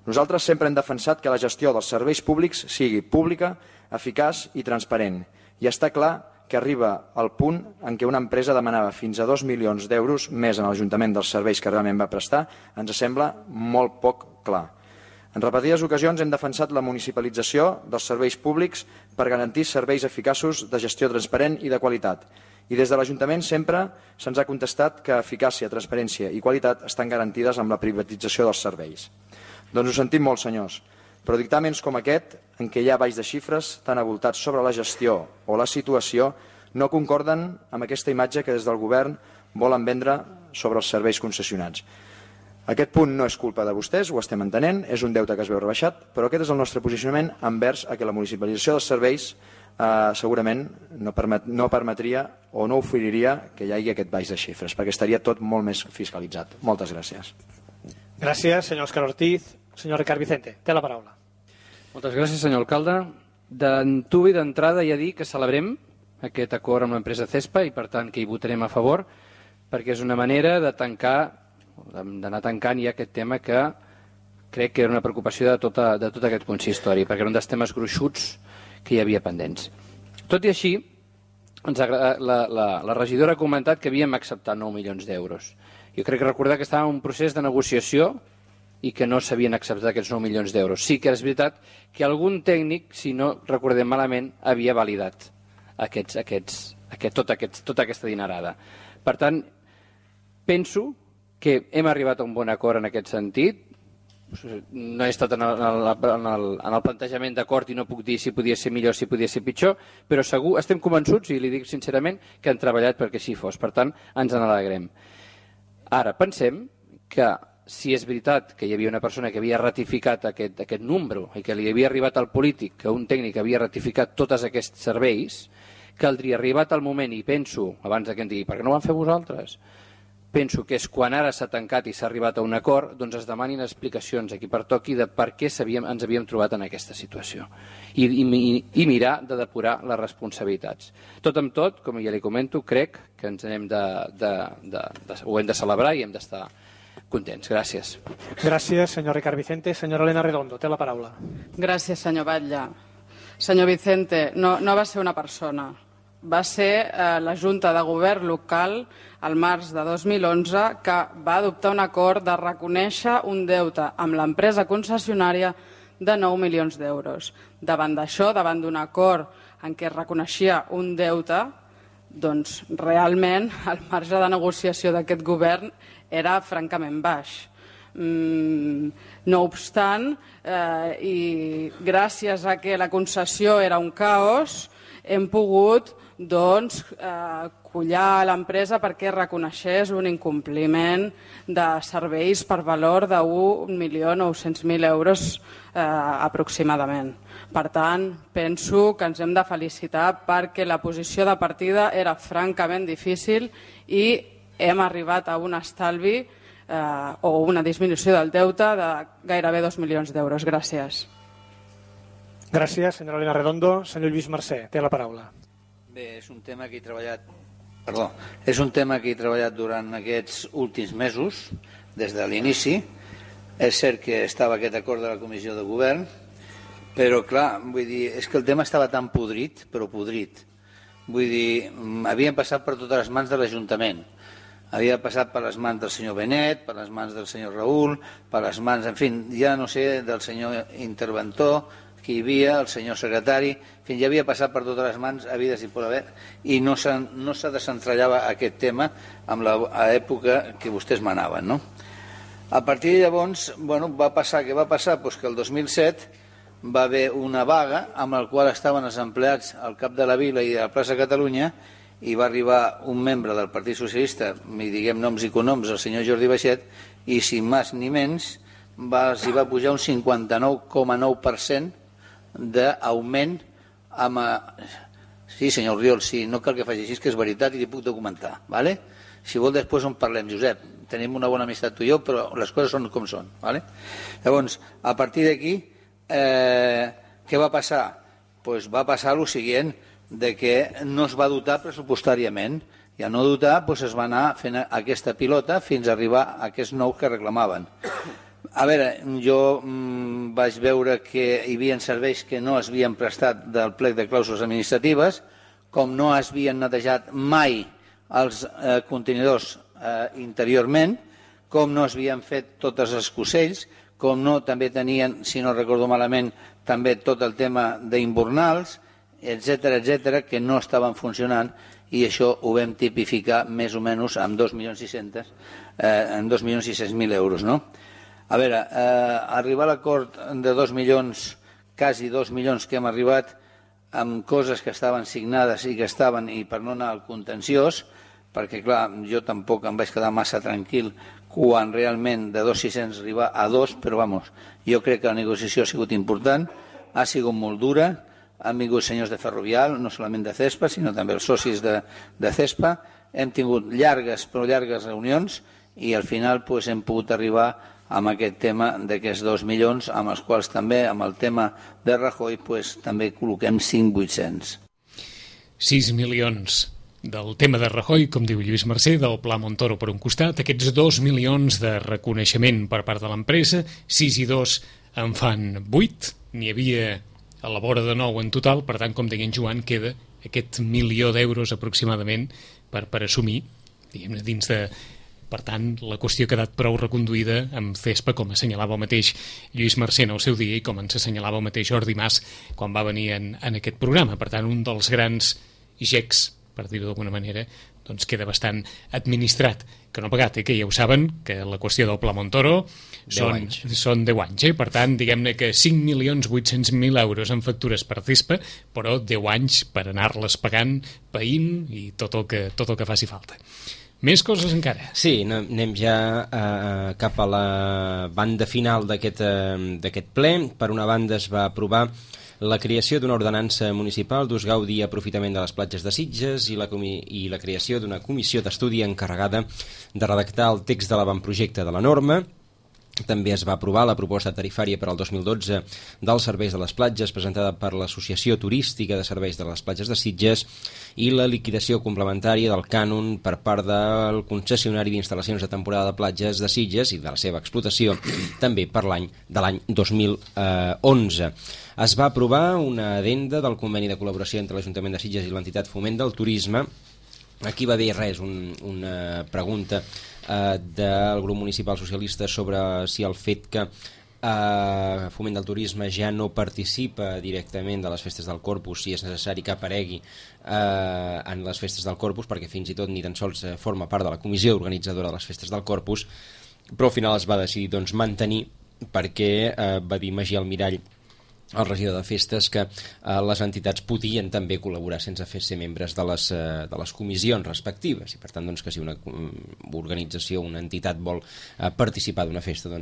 Nosaltres sempre hem defensat que la gestió dels serveis públics sigui pública, eficaç i transparent. I està clar que arriba al punt en què una empresa demanava fins a 2 milions d'euros més en l'Ajuntament dels serveis que realment va prestar, ens sembla molt poc clar. En repetides ocasions hem defensat la municipalització dels serveis públics per garantir serveis eficaços de gestió transparent i de qualitat. I des de l'Ajuntament sempre se'ns ha contestat que eficàcia, transparència i qualitat estan garantides amb la privatització dels serveis. Doncs ho sentim molt, senyors, però dictàmens com aquest, en què hi ha balls de xifres tan avoltats sobre la gestió o la situació, no concorden amb aquesta imatge que des del govern volen vendre sobre els serveis concessionats. Aquest punt no és culpa de vostès, ho estem entenent, és un deute que es veu rebaixat, però aquest és el nostre posicionament envers a que la municipalització dels serveis segurament no permetria o no oferiria que hi hagi aquest baix de xifres, perquè estaria tot molt més fiscalitzat. Moltes gràcies. Gràcies, senyor Òscar Ortiz. Senyor Ricard Vicente, té la paraula. Moltes gràcies, senyor alcalde. D'entubi d'entrada ja dir que celebrem aquest acord amb l'empresa CESPA i, per tant, que hi votarem a favor, perquè és una manera de d'anar tancant ja aquest tema que crec que era una preocupació de tot aquest consistori, perquè era un dels temes gruixuts que hi havia pendents. Tot i així, la regidora ha comentat que havíem acceptat 9 milions d'euros. Jo crec que recordar que estàvem en un procés de negociació i que no s'havien acceptat aquests 9 milions d'euros. Sí que és veritat que algun tècnic, si no recordem malament, havia validat tota aquesta dinerada. Per tant, penso que hem arribat a un bon acord en aquest sentit. No he estat en el plantejament d'acord i no puc dir si podia ser millor, si podia ser pitjor, però segur, estem convençuts, i li dic sincerament, que han treballat perquè així fos. Per tant, ens en alegrem. Ara, pensem que si és veritat que hi havia una persona que havia ratificat aquest número i que li havia arribat al polític, que un tècnic havia ratificat tots aquests serveis, caldria arribat al moment, i penso, abans que em digui, per què no ho van fer vosaltres? Penso que és quan ara s'ha tancat i s'ha arribat a un acord, doncs es demanin explicacions a qui pertoqui de per què ens havíem trobat en aquesta situació i mirar de depurar les responsabilitats. Tot amb tot, com ja li comento, crec que ens ho hem de celebrar i hem d'estar contents. Gràcies. Gràcies, senyor Ricard Vicente. Senyora Elena Redondo, té la paraula. Gràcies, senyor Batlle. Senyor Vicente, no va ser una persona. Va ser la Junta de Govern local al març de 2011 que va adoptar un acord de reconèixer un deute amb l'empresa concessionària de 9 milions d'euros. Davant d'això, davant d'un acord en què es reconeixia un deute, doncs realment el marge de negociació d'aquest govern era francament baix. No obstant, i gràcies a que la concessió era un caos, hem pogut collar l'empresa perquè reconeixés un incompliment de serveis per valor de 1.900.000 euros aproximadament. Per tant, penso que ens hem de felicitar perquè la posició de partida era francament difícil i hem arribat a un estalvi o una disminució del deute de gairebé 2 milions d'euros. Gràcies. Gràcies, senyora Elena Redondo. Senyor Lluís Mercè, té la paraula. Bé, és un tema que he treballat durant aquests últims mesos, des de l'inici. És cert que estava aquest acord de la Comissió de Govern, però clar, vull dir, és que el tema estava tan podrit, però podrit. Vull dir, havien passat per totes les mans de l'Ajuntament. Havia passat per les mans del senyor Benet, per les mans del senyor Raül, per les mans, en fi, ja no sé, del senyor interventor, que hi havia, el senyor secretari, fins ja havia passat per totes les mans havides i por haver, i no se desentrellava aquest tema amb l'època que vostès manaven, no? A partir de llavors, va passar doncs que el 2007 va haver una vaga amb la qual estaven els empleats al cap de la Vila i de la plaça Catalunya, i va arribar un membre del Partit Socialista, i diguem noms i cognoms, el senyor Jordi Baixet, i sin més ni menys s'hi va pujar un 59,9% d'augment amb... Sí, senyor Oriol, sí, no cal que faci així, que és veritat i li puc documentar, ¿vale? Si vol després en parlem, Josep, tenim una bona amistat tu i jo, però les coses són com són, ¿vale? Llavors, a partir d'aquí, què va passar? Pues va passar el següent, de que no es va dotar pressupostàriament, i al no dotar es va anar fent aquesta pilota fins a arribar a aquests nous que reclamaven. A veure, jo vaig veure que hi havia serveis que no es havien prestat del plec de clàusules administratives, com no es havien netejat mai els contenidors interiorment, com no es havien fet tots els escocells, com no també tenien, si no recordo malament, també tot el tema d'imbornals, etc., que no estaven funcionant, i això ho vam tipificar més o menys amb 2.600.000 euros, no? A veure, arribar a l'acord de 2 milions, quasi 2 milions que hem arribat amb coses que estaven signades i que estaven, i per no anar al contenciós, perquè clar, jo tampoc em vaig quedar massa tranquil quan realment de 2.600 arribar a 2, però vamos, jo crec que la negociació ha sigut important, ha sigut molt dura, han vingut senyors de Ferrovial, no solament de CESPA, sinó també els socis de CESPA, hem tingut llargues reunions i al final hem pogut arribar amb aquest tema d'aquests 2 milions, amb els quals també, amb el tema de Rajoy, també col·loquem 5.800. 6 milions del tema de Rajoy, com diu Lluís Mercè, del Pla Montoro per un costat, aquests 2 milions de reconeixement per part de l'empresa, 6 i 2 en fan 8, n'hi havia a la vora de 9 en total, per tant, com deia en Joan, queda aquest 1 milió d'euros aproximadament per assumir, diguem-ne, dins de... Per tant, la qüestió ha quedat prou reconduïda amb CESPA, com assenyalava el mateix Lluís Mercè en el seu dia i com ens assenyalava el mateix Jordi Mas quan va venir en aquest programa. Per tant, un dels grans gecs, per dir-ho d'alguna manera, doncs queda bastant administrat, que no pagat, que ja ho saben, que la qüestió del Pla Montoro són 10 anys. Per tant, diguem-ne que 5.800.000 euros en factures per CESPA, però 10 anys per anar-les pagant, païnt i tot el que faci falta. Més coses encara. Sí, anem ja cap a la banda final d'aquest ple. Per una banda es va aprovar la creació d'una ordenança municipal d'ús, gaudi i aprofitament de les platges de Sitges i la creació d'una comissió d'estudi encarregada de redactar el text de l'avantprojecte de la norma. També es va aprovar la proposta tarifària per al 2012 dels serveis de les platges presentada per l'Associació Turística de Serveis de les Platges de Sitges i la liquidació complementària del cànon per part del concessionari d'instal·lacions de temporada de platges de Sitges i de la seva explotació també per l'any 2011. Es va aprovar una addenda del conveni de col·laboració entre l'Ajuntament de Sitges i l'entitat Foment del Turisme. Aquí va haver una pregunta del grup municipal socialista sobre si el fet que Foment del Turisme ja no participa directament de les festes del Corpus, si és necessari que aparegui en les festes del Corpus, perquè fins i tot ni tan sols forma part de la comissió organitzadora de les festes del Corpus, però al final es va decidir mantenir, perquè va dir Magí Almirall, el regidor de festes, que les entitats podien també col·laborar sense ser membres de les comissions respectives, i per tant que si una organització, una entitat vol participar d'una festa,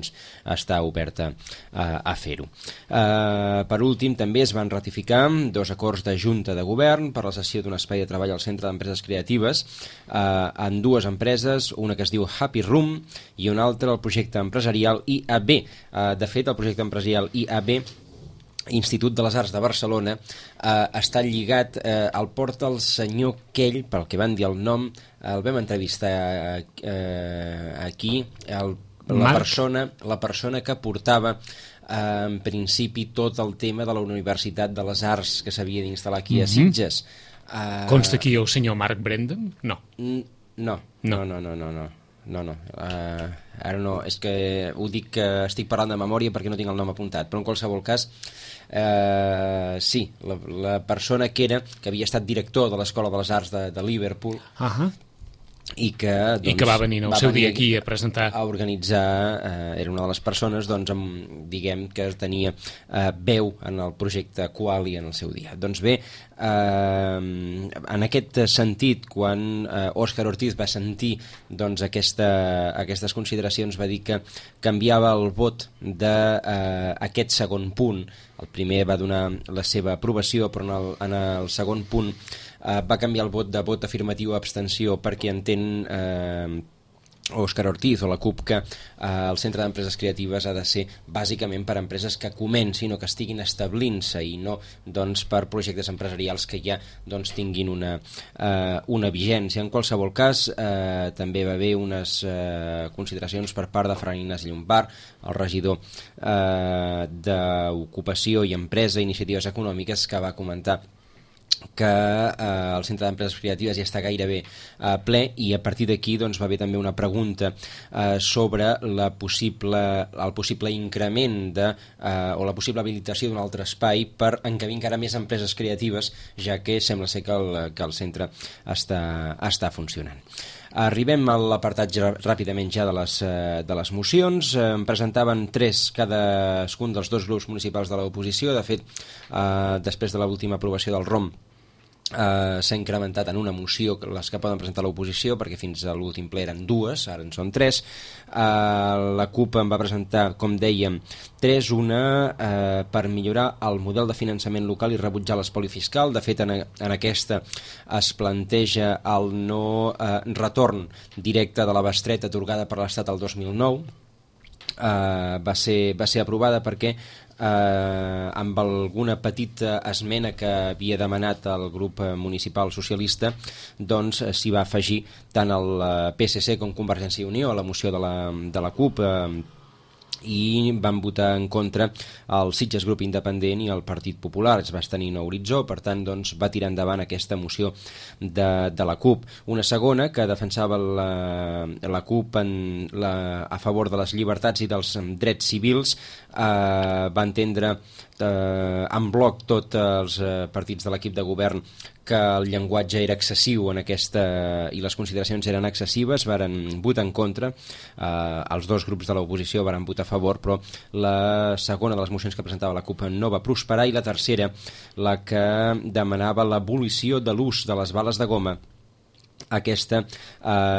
està oberta a fer-ho. Per últim, també es van ratificar 2 acords de Junta de Govern per la cessió d'un espai de treball al Centre d'Empreses Creatives en 2 empreses, una que es diu Happy Room i una altra el projecte empresarial IAB. De fet, el projecte empresarial IAB, Institut de les Arts de Barcelona, està lligat al porta el senyor Kell, pel que van dir el nom, el vam entrevistar aquí, la persona que portava en principi tot el tema de la Universitat de les Arts que s'havia d'instal·lar aquí a Sitges. Consta aquí el senyor Marc Brendon? No. No. Ara no, és que ho dic que estic parlant de memòria perquè no tinc el nom apuntat, però en qualsevol cas sí, la persona que havia estat director de l'Escola de les Arts de Liverpool i que va venir el seu dia aquí a presentar, a organitzar, era una de les persones diguem que tenia veu en el projecte Quali en el seu dia. Doncs bé, en aquest sentit, quan Òscar Ortiz va sentir aquestes consideracions, va dir que canviava el vot d'aquest segon punt. El primer va donar la seva aprovació, però en el segon punt va canviar el vot de vot afirmatiu a abstenció perquè entén Òscar Ortiz o la CUP que el Centre d'Empreses Creatives ha de ser bàsicament per a empreses que comencin o que estiguin establint-se i no per projectes empresarials que ja tinguin una vigència. En qualsevol cas, també va haver unes consideracions per part de Ferran Ignasi Llombart, el regidor d'Ocupació i Empresa i Iniciatives Econòmiques, que va comentar que el Centre d'Empreses Creatives ja està gairebé ple i a partir d'aquí va haver també una pregunta sobre el possible increment o la possible habilitació d'un altre espai per encabir encara més empreses creatives, ja que sembla ser que el centre està funcionant. Arribem a l'apartat ràpidament ja de les mocions. En presentaven 3 cadascun dels 2 grups municipals de l'oposició. De fet, després de l'última aprovació del ROM, s'ha incrementat en una moció les que poden presentar l'oposició, perquè fins a l'últim ple eren 2, ara en són 3. La CUP en va presentar, com dèiem, 3, una per millorar el model de finançament local i rebutjar l'espoli fiscal. De fet, en aquesta es planteja el no retorn directe de la bestreta atorgada per l'Estat el 2009. Va ser aprovada perquè amb alguna petita esmena que havia demanat el grup municipal socialista, s'hi va afegir tant el PSC com Convergència i Unió a la moció de la CUP, i van votar en contra el Sitges Grup Independent i el Partit Popular. Es va tenir a horitzó, per tant va tirar endavant aquesta moció de la CUP. Una segona que defensava la CUP a favor de les llibertats i dels drets civils, va entendre en bloc tots els partits de l'equip de govern que el llenguatge era excessiu i les consideracions eren excessives, varen votar en contra. Els 2 grups de l'oposició varen votar a favor, però la segona de les mocions que presentava la CUP no va prosperar, i la tercera, la que demanava l'abolició de l'ús de les bales de goma, aquesta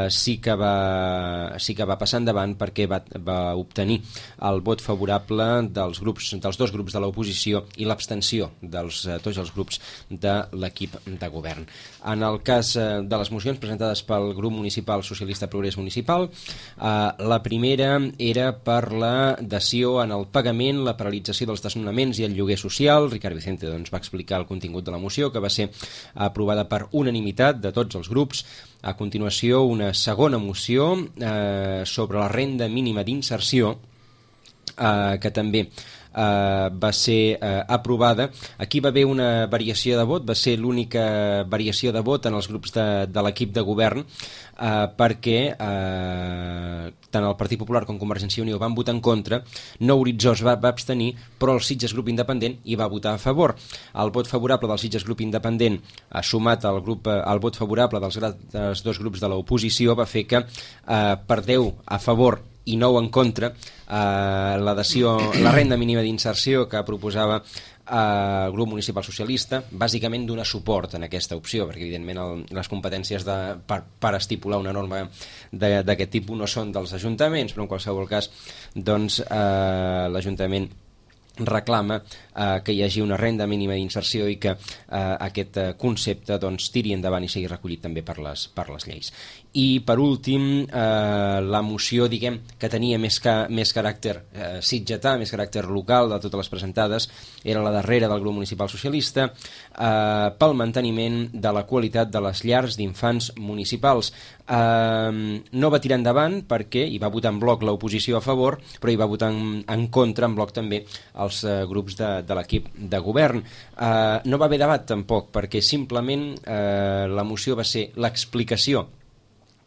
sí que va passar endavant perquè va obtenir el vot favorable dels 2 grups de l'oposició i l'abstenció de tots els grups de l'equip de govern. En el cas de les mocions presentades pel grup municipal socialista Progrés Municipal, la primera era per la dació en el pagament, la paralització dels desnonaments i el lloguer social. Ricard Vicente va explicar el contingut de la moció, que va ser aprovada per unanimitat de tots els grups. A continuació, una segona moció sobre la renda mínima d'inserció, que també va ser aprovada. Aquí va haver una variació de vot, va ser l'única variació de vot en els grups de l'equip de govern, perquè tant el Partit Popular com Convergència i Unió van votar en contra. No Horitzó es va abstenir, però el Sitges Grup Independent hi va votar a favor. El vot favorable del Sitges Grup Independent, sumat al vot favorable dels 2 grups de l'oposició, va fer que per 10 a favor i 9 en contra la renda mínima d'inserció que proposava el grup municipal socialista, bàsicament dona suport en aquesta opció, perquè evidentment les competències per estipular una norma d'aquest tipus no són dels ajuntaments, però en qualsevol cas l'Ajuntament reclama que hi hagi una renda mínima d'inserció i que aquest concepte tiri endavant i sigui recollit també per les lleis. I per últim, la moció, diguem, que tenia més caràcter sitgetà, més caràcter local de totes les presentades, era la darrera del grup municipal socialista, pel manteniment de la qualitat de les llars d'infants municipals. No va tirar endavant perquè hi va votar en bloc l'oposició a favor, però hi va votar en contra en bloc també els grups de l'equip de govern. No va haver debat tampoc, perquè simplement la moció va ser l'explicació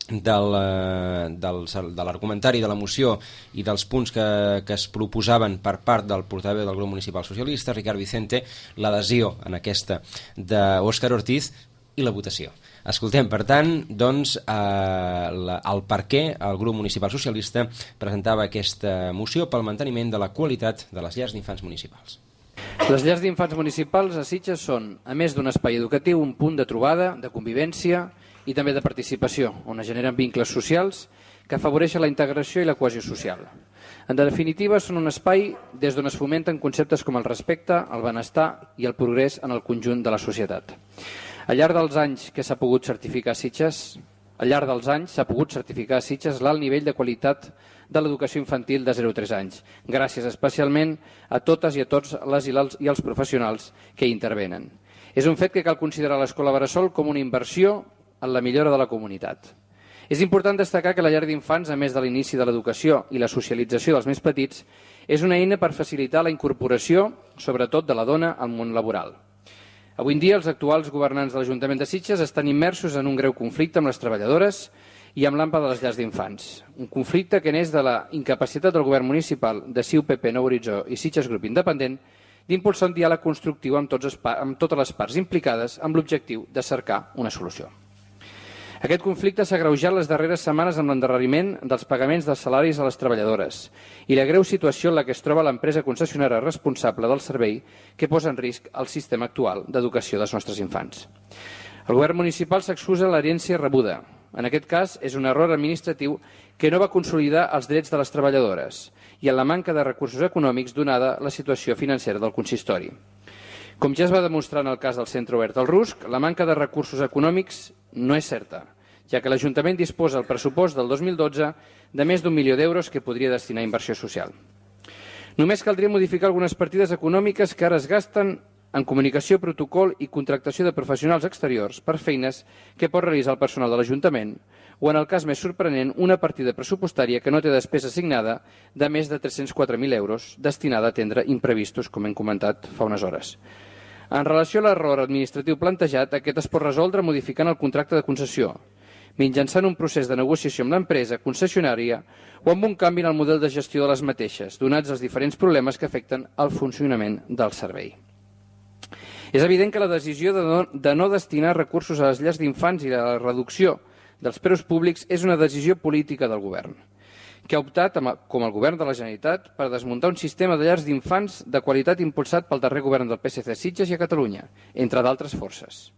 de l'argumentari de la moció i dels punts que es proposaven per part del portaveu del grup municipal socialista, Ricard Vicente, l'adhesió en aquesta d'Òscar Ortiz i la votació. Escoltem, per tant, doncs, el per què el grup municipal socialista presentava aquesta moció pel manteniment de la qualitat de les llars d'infants municipals. Les llars d'infants municipals a Sitges són, a més d'un espai educatiu, un punt de trobada, de convivència i també de participació, on es generen vincles socials que afavoreixen la integració i la cohesió social. En definitiva, són un espai des d'on es fomenten conceptes com el respecte, el benestar i el progrés en el conjunt de la societat. Al llarg dels anys que s'ha pogut certificar a Sitges, l'alt nivell de qualitat de l'educació infantil de 0 a 3 anys, gràcies especialment a totes i a tots les i els professionals que hi intervenen. És un fet que cal considerar l'escola bressol com una inversió en la millora de la comunitat. És important destacar que la llar d'infants, a més de l'inici de l'educació i la socialització dels més petits, és una eina per facilitar la incorporació, sobretot de la dona, al món laboral. Avui en dia, els actuals governants de l'Ajuntament de Sitges estan immersos en un greu conflicte amb les treballadores i amb l'AMPA de les llars d'infants. Un conflicte que neix de la incapacitat del govern municipal de CiU, PP, Nou Horitzó i Sitges Grup Independent d'impulsar un diàleg constructiu amb totes les parts implicades amb l'objectiu de cercar una solució. Aquest conflicte s'ha agreujat les darreres setmanes amb l'endarreriment dels pagaments dels salaris a les treballadores i la greu situació en la que es troba l'empresa concessionària responsable del servei que posa en risc el sistema actual d'educació dels nostres infants. El govern municipal s'excusa l'herència rebuda. En aquest cas, és un error administratiu que no va consolidar els drets de les treballadores i en la manca de recursos econòmics donada la situació financera del consistori. Com ja es va demostrar en el cas del Centre Obert al Rusc, la manca de recursos econòmics no és certa, ja que l'Ajuntament disposa al pressupost del 2012 de més d'1 milió d'euros que podria destinar a inversió social. Només caldria modificar algunes partides econòmiques que ara es gasten en comunicació, protocol i contractació de professionals exteriors per feines que pot realitzar el personal de l'Ajuntament o, en el cas més sorprenent, una partida pressupostària que no té despesa assignada de més de 304.000 euros destinada a atendre imprevistos, com hem comentat fa unes hores. En relació a l'error administratiu plantejat, aquest es pot resoldre modificant el contracte de concessió, mitjançant un procés de negociació amb l'empresa concessionària o amb un canvi en el model de gestió de les mateixes, donats els diferents problemes que afecten el funcionament del servei. És evident que la decisió de no destinar recursos a les llars d'infants i la reducció dels preus públics és una decisió política del govern, que ha optat, com el govern de la Generalitat, per desmuntar un sistema de llars d'infants de qualitat impulsat pel darrer govern del PSC a Sitges i a Catalunya, entre d'altres forces.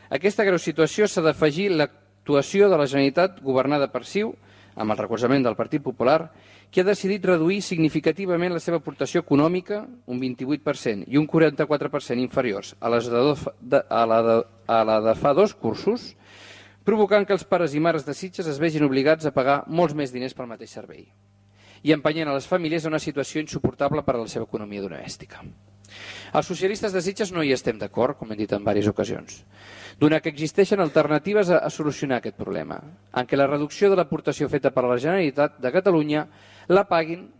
A aquesta greu situació s'ha d'afegir l'actuació de la Generalitat governada per CiU, amb el recolzament del Partit Popular, que ha decidit reduir significativament la seva aportació econòmica, un 28% i un 44% inferiors a la de fa 2 cursos, provocant que els pares i mares de Sitges es vegin obligats a pagar molts més diners pel mateix servei i empenyent a les famílies a una situació insuportable per a la seva economia domèstica. Els socialistes de Sitges no hi estem d'acord, com hem dit en diverses ocasions, donat que existeixen alternatives a solucionar aquest problema, en què la reducció de l'aportació feta per la Generalitat de Catalunya la paguin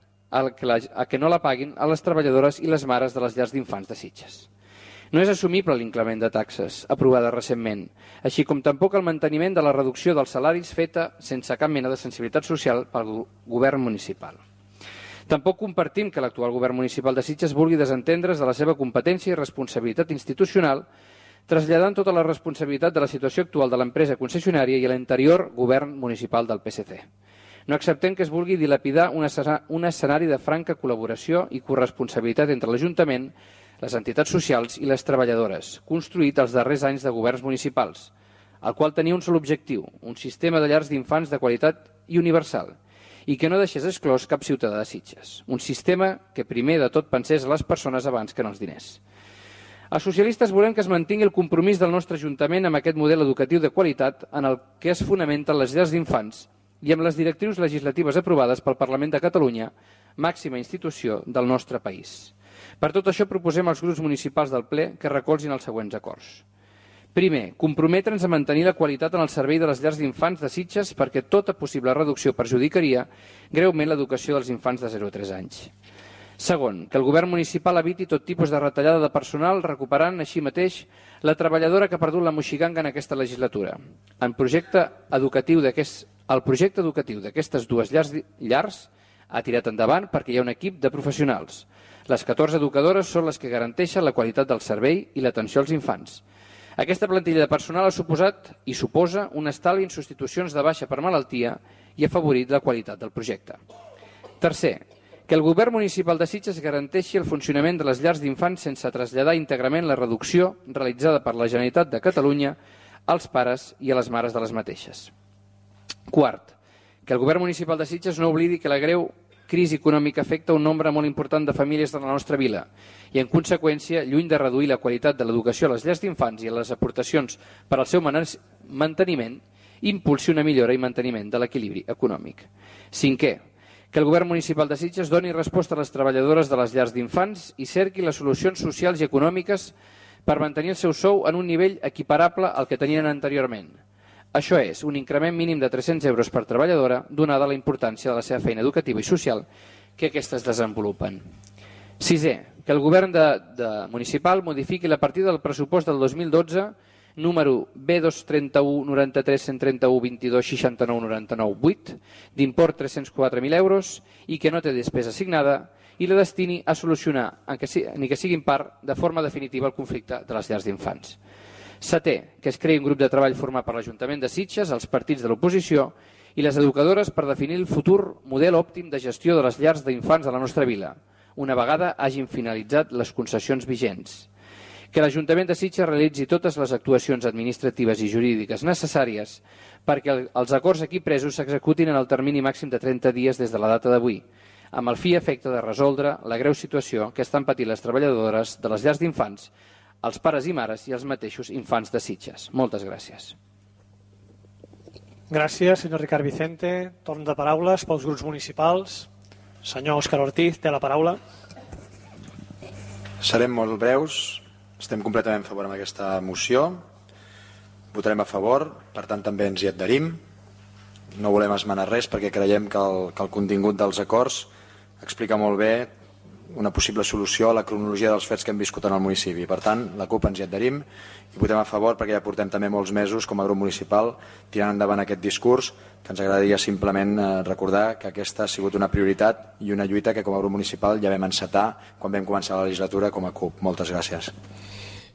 que no la paguin a les treballadores i les mares de les llars d'infants de Sitges. No és assumible l'increment de taxes aprovada recentment, així com tampoc el manteniment de la reducció dels salaris feta sense cap mena de sensibilitat social pel govern municipal. Tampoc compartim que l'actual govern municipal de Sitges vulgui desentendre's de la seva competència i responsabilitat institucional, traslladant tota la responsabilitat de la situació actual de l'empresa concessionària i a l'anterior govern municipal del PSC. No acceptem que es vulgui dilapidar un escenari de franca col·laboració i corresponsabilitat entre l'Ajuntament, les entitats socials i les treballadores, construït els darrers anys de governs municipals, el qual tenia un sol objectiu, un sistema de llars d'infants de qualitat i universal, i que no deixés exclòs cap ciutadà de Sitges. Un sistema que primer de tot pensés a les persones abans que en els diners. Els socialistes volem que es mantingui el compromís del nostre Ajuntament amb aquest model educatiu de qualitat en el que es fonamenten les llars d'infants i amb les directrius legislatives aprovades pel Parlament de Catalunya, màxima institució del nostre país. Per tot això proposem als grups municipals del ple que recolzin els següents acords. Primer, comprometre'ns a mantenir la qualitat en el servei de les llars d'infants de Sitges perquè tota possible reducció perjudicaria greument l'educació dels infants de 0 a 3 anys. Segon, que el govern municipal eviti tot tipus de retallada de personal, recuperant així mateix la treballadora que ha perdut la moixiganga en aquesta legislatura. El projecte educatiu d'aquestes dues llars ha tirat endavant perquè hi ha un equip de professionals. Les 14 educadores són les que garanteixen la qualitat del servei i l'atenció als infants. Aquesta plantilla de personal ha suposat i suposa un estalvi en substitucions de baixa per malaltia i ha afavorit la qualitat del projecte. Tercer, que el govern municipal de Sitges garanteixi el funcionament de les llars d'infants sense traslladar íntegrament la reducció realitzada per la Generalitat de Catalunya als pares i a les mares de les mateixes. Quart, que el govern municipal de Sitges no oblidi que la greu crisi econòmica afecta un nombre molt important de famílies de la nostra vila i, en conseqüència, lluny de reduir la qualitat de l'educació a les llars d'infants i a les aportacions per al seu manteniment, impulsi una millora i manteniment de l'equilibri econòmic. Cinquè, que el govern municipal de Sitges doni resposta a les treballadores de les llars d'infants i cerqui les solucions socials i econòmiques per mantenir el seu sou en un nivell equiparable al que tenien anteriorment. Això és, un increment mínim de 300 euros per treballadora, donada la importància de la seva feina educativa i social que aquestes desenvolupen. Sisè, que el govern municipal modifiqui la partida del pressupost del 2012, número B231 93 131 22 69 99 8, d'import 304.000 euros i que no té despesa assignada, i la destini a solucionar, ni que sigui en part, de forma definitiva el conflicte de les llars d'infants. Setè, que es creï un grup de treball format per l'Ajuntament de Sitges, els partits de l'oposició i les educadores per definir el futur model òptim de gestió de les llars d'infants de la nostra vila, una vegada hagin finalitzat les concessions vigents. Que l'Ajuntament de Sitges realitzi totes les actuacions administratives i jurídiques necessàries perquè els acords aquí presos s'executin en el termini màxim de 30 dies des de la data d'avui, amb el fi i efecte de resoldre la greu situació que estan patint les treballadores de les llars d'infants, els pares i mares i els mateixos infants de Sitges. Moltes gràcies. Gràcies, senyor Ricard Vicente. Torn de paraules pels grups municipals. Senyor Òscar Ortiz, té la paraula. Serem molt breus. Estem completament a favor amb aquesta moció. Votarem a favor, per tant també ens hi adherim. No volem esmenar res perquè creiem que el contingut dels acords explica molt bé una possible solució a la cronologia dels fets que hem viscut en el municipi. Per tant, la CUP ens hi adherim i votem a favor perquè ja portem també molts mesos com a grup municipal tirant endavant aquest discurs, que ens agradaria simplement recordar que aquesta ha sigut una prioritat i una lluita que com a grup municipal ja vam encetar quan vam començar la legislatura com a CUP. Moltes gràcies.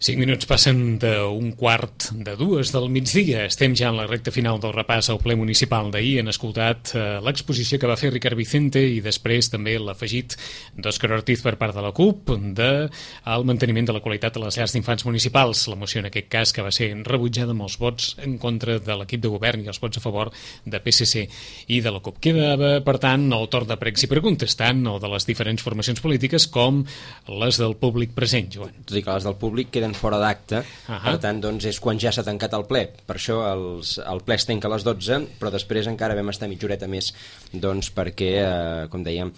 5 minuts passen d'un quart de 2 del migdia. Estem ja en la recta final del repàs al ple municipal d'ahir. Han escoltat l'exposició que va fer Ricard Vicente i després també l'afegit d'Òscar Ortiz per part de la CUP del manteniment de la qualitat de les llars d'infants municipals. La moció en aquest cas que va ser rebutjada amb els vots en contra de l'equip de govern i els vots a favor de PSC i de la CUP. Quedava, per tant, el torn de pregs i preguntes, tant el de les diferents formacions polítiques com les del públic present, Joan. Tot i que les del públic queden fora d'acte, per tant doncs, és quan ja s'ha tancat el ple. Per això el ple es tanca a les 12, però després encara vam estar mitja horeta més doncs, perquè, com dèiem,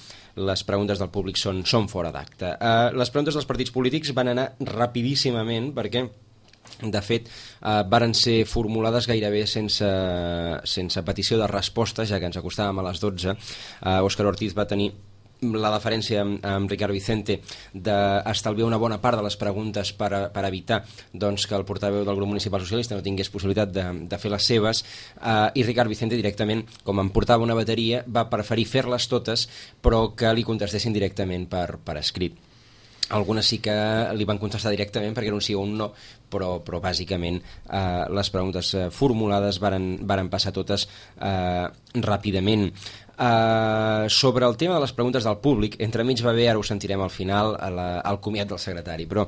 les preguntes del públic són fora d'acte. Les preguntes dels partits polítics van anar rapidíssimament perquè de fet, varen ser formulades gairebé sense petició de resposta, ja que ens acostàvem a les 12. Òscar Ortiz va tenir la deferència amb Ricard Vicente d'estalviar una bona part de les preguntes per evitar doncs, que el portaveu del grup municipal socialista no tingués possibilitat de fer les seves, i Ricard Vicente directament, com em portava una bateria, va preferir fer-les totes però que li contestessin directament per escrit. Algunes sí que li van contestar directament perquè era un sí o un no, però bàsicament les preguntes formulades varen passar totes ràpidament. Sobre el tema de les preguntes del públic, entremig va haver, ara ho sentirem al final, el comiat del secretari, però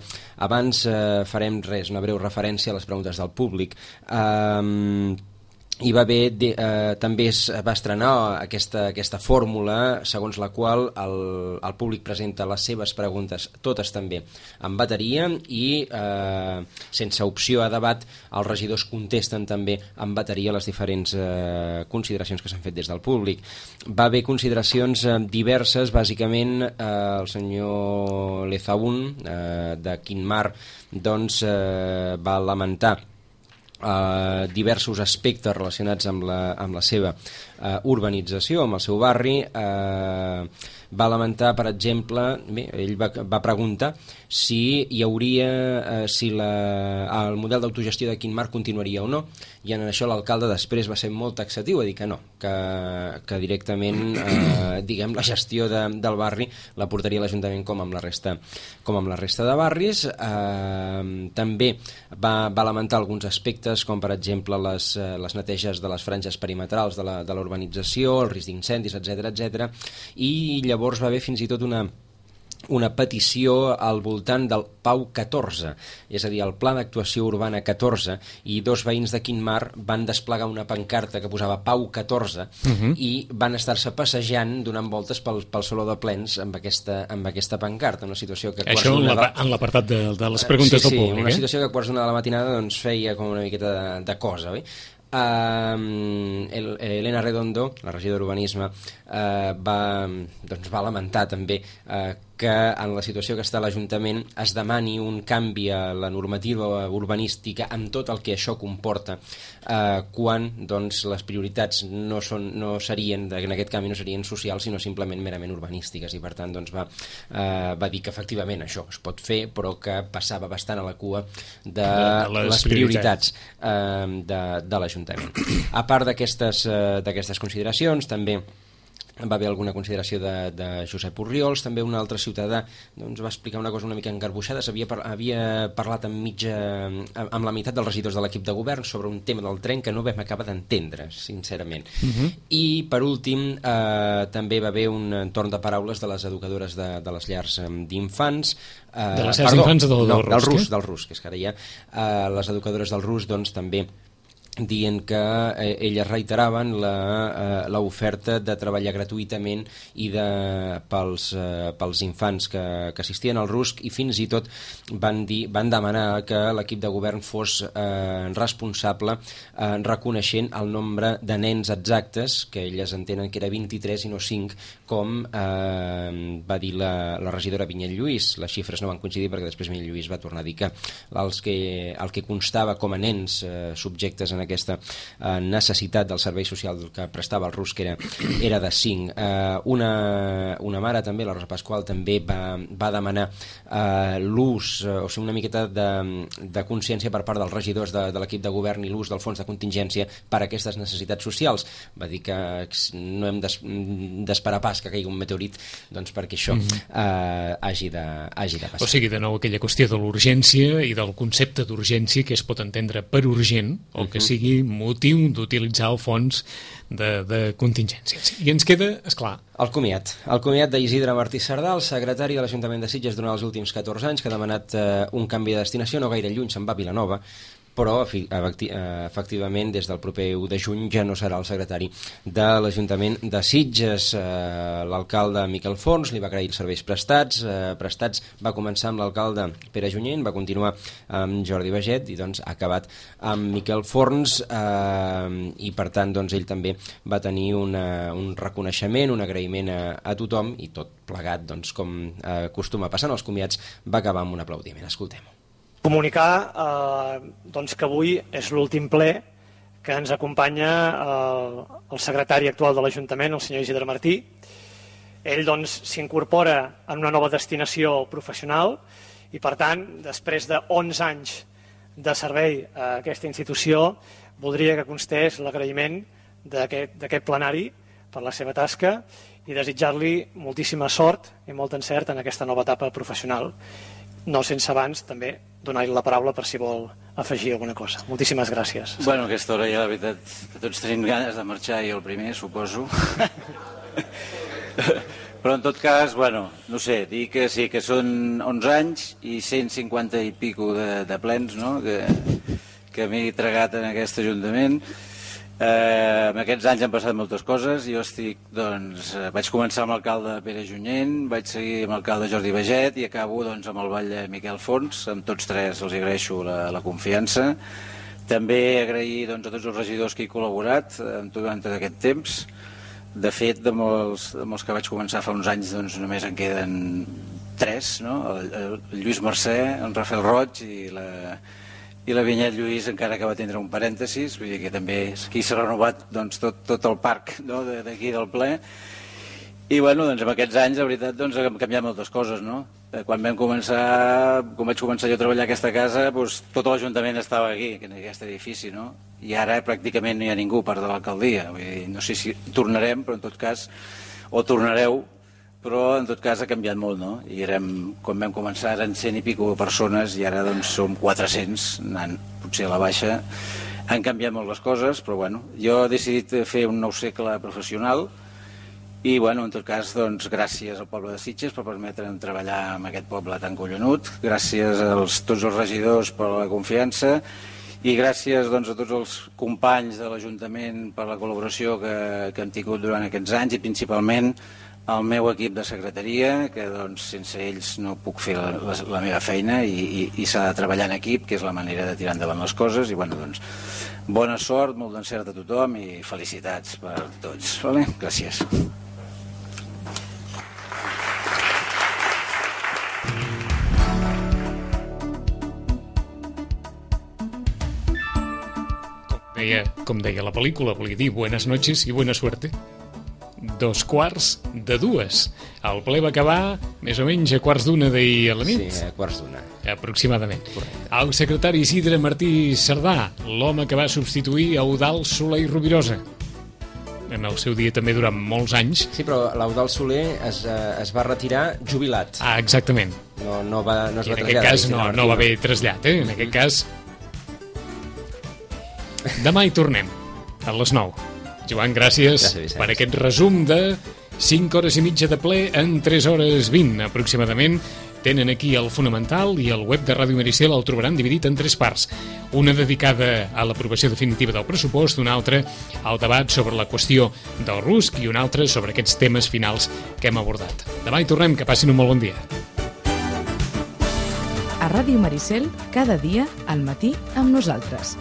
abans farem una breu referència a les preguntes del públic. Hi va haver, també es va estrenar aquesta fórmula segons la qual el públic presenta les seves preguntes, totes també en bateria, i sense opció a debat els regidors contesten també en bateria les diferents consideracions que s'han fet des del públic. Va haver consideracions diverses, bàsicament el senyor Lezaún de Quinmar doncs, va lamentar diversos aspectes relacionats amb la seva urbanització, amb el seu barri. va lamentar, per exemple, ell va preguntar si hi hauria, si el model d'autogestió de Quint Mar continuaria o no, i en això l'alcalde després va ser molt taxatiu, a dir que no, que directament diguem, la gestió del barri la portaria l'Ajuntament com amb la resta de barris. També va lamentar alguns aspectes, com per exemple les neteges de les franges perimetrals de la urbanització, el risc d'incendis, etc. I llavors va haver fins i tot una petició al voltant del Pau 14, és a dir, el Pla d'Actuació Urbana 14, i dos veïns de Quint Mar van desplegar una pancarta que posava Pau 14 i van estar-se passejant donant voltes pel Saló de Plens amb aquesta pancarta, una situació que... Això en l'apartat de les preguntes del públic. Una situació que a quarts d'una de la matinada doncs, feia com una miqueta de cosa, oi? Elena Redondo, la regidora d'Urbanisme, va lamentar també que en la situació que està l'Ajuntament es demani un canvi a la normativa urbanística amb tot el que això comporta, quan doncs, les prioritats no serien, en aquest canvi no serien socials sinó simplement merament urbanístiques, i per tant doncs, va dir que efectivament això es pot fer, però que passava bastant a la cua de les prioritats de l'Ajuntament. A part d'aquestes consideracions, també va haver alguna consideració de Josep Orriols. També un altre ciutadà doncs, va explicar una cosa una mica engarbuixada. Havia parlat amb la meitat dels regidors de l'equip de govern sobre un tema del tren que no vam acabar d'entendre, sincerament. I per últim també va haver un torn de paraules de les educadores de les llars d'infants, de les llars d'infants del RUS, que és que ara ja les educadores del RUS doncs, també dient que elles reiteraven l'oferta de treballar gratuïtament i pels infants que assistien al RUSC, i fins i tot van demanar que l'equip de govern fos responsable reconeixent el nombre de nens exactes, que elles entenen que era 23 i no 5, com va dir la regidora Vinyet Lluís. Les xifres no van coincidir perquè després Vinyet Lluís va tornar a dir que el que constava com a nens subjectes en aquesta necessitat del servei social que prestava el RUSC era de 5. Una mare també, la Rosa Pasqual, també va demanar l'ús, o sigui, una miqueta de consciència per part dels regidors de l'equip de govern i l'ús del fons de contingència per a aquestes necessitats socials. Va dir que no hem d'esperar pas que caigui un meteorit doncs, perquè això hagi de passar. O sigui, de nou, aquella qüestió de l'urgència i del concepte d'urgència que es pot entendre per urgent, o que sigui motiu d'utilitzar el fons de contingències. I ens queda, esclar, el comiat d'Isidre Martí Sardà, el secretari de l'Ajuntament de Sitges durant els últims 14 anys, que ha demanat un canvi de destinació, no gaire lluny, se'n va a Vilanova, però efectivament des del proper 1 de juny ja no serà el secretari de l'Ajuntament de Sitges. L'alcalde Miquel Forns li va agrair els serveis prestats va començar amb l'alcalde Pere Junyent, va continuar amb Jordi Baget i doncs ha acabat amb Miquel Forns, i per tant doncs, ell també va tenir un reconeixement, un agraïment a tothom, i tot plegat, doncs, com acostuma a passar en els comiats, va acabar amb un aplaudiment. Escoltem-ho. Comunicar doncs que avui és l'últim ple que ens acompanya el secretari actual de l'Ajuntament, el senyor Isidre Martí. Ell doncs s'incorpora en una nova destinació professional i per tant, després de 11 anys de servei a aquesta institució, voldria que constés l'agraïment d'aquest plenari per la seva tasca i desitjar-li moltíssima sort i molt encert en aquesta nova etapa professional. No sense abans també donar-li la paraula per si vol afegir alguna cosa. Moltíssimes gràcies. Bueno, a aquesta hora ja la veritat que tots tenim ganes de marxar, i el primer, suposo. Però en tot cas, bueno, no sé, dir que sí, que són 11 anys i 150 i pico de plens, no?, que m'he tragat en aquest Ajuntament. En aquests anys han passat moltes coses. Jo estic, doncs, vaig començar amb l'alcalde Pere Junyent, vaig seguir amb l'alcalde Jordi Baget i acabo doncs, amb el ball de Miquel Forns. Amb tots tres els agraeixo la confiança. També agrair doncs, a tots els regidors que he col·laborat durant tot aquest temps. De fet, de molts que vaig començar fa uns anys, doncs, només en queden 3, no? El Lluís Mercè, en Rafael Roig i la Vinyet Lluís, encara que va tindre un parèntesis, vull dir que també aquí s'ha renovat doncs, tot el parc, no?, d'aquí del ple. I bueno, doncs amb aquests anys, la veritat, doncs han canviat moltes coses, no? Quan vaig començar jo a treballar a aquesta casa, doncs tot l'Ajuntament estava aquí, en aquest edifici, no? I ara pràcticament no hi ha ningú, a part de l'alcaldia. No sé si tornarem, però en tot cas, o tornareu, però en tot cas ha canviat molt, no? I quan vam començar eren 100 i pico persones i ara doncs som 400, anant potser a la baixa. Han canviat molt les coses, però bueno, jo he decidit fer un nou segle professional i bueno, en tot cas, doncs, gràcies al poble de Sitges per permetre'm treballar amb aquest poble tan collonut, gràcies a tots els regidors per la confiança i gràcies doncs, a tots els companys de l'Ajuntament per la col·laboració que hem tingut durant aquests anys i principalment al meu equip de secretaria, que doncs, sense ells no puc fer la meva feina i s'ha de treballar en equip, que és la manera de tirar endavant les coses i bueno, doncs, bona sort, molt d'encert a tothom i felicitats per tots. Vale? Gràcies. Com deia la pel·lícula, volia dir buenas noches i buena suerte. 2:45. El ple va acabar més o menys a 1:15 d'ahir a la nit. Sí, a 1:15. Aproximadament. Correcte. El secretari Isidre Martí Cerdà, l'home que va substituir Eudald Soler i Rovirosa. En el seu dia també durant molts anys. Sí, però l'Eudald Soler es va retirar jubilat. Ah, exactament. No es va I en traslladar. aquest cas no va haver trasllat, En aquest cas... Demà hi tornem, a les 9. Joan, gràcies per aquest resum de 5 hores i mitja de ple en 3 hores 20, aproximadament. Tenen aquí el fonamental i el web de Ràdio Maricel el trobaran dividit en 3 parts. Una dedicada a l'aprovació definitiva del pressupost, una altra al debat sobre la qüestió del RUSC i una altra sobre aquests temes finals que hem abordat. Demà hi tornem, que passin un molt bon dia. A Ràdio Maricel, cada dia, al matí, amb nosaltres.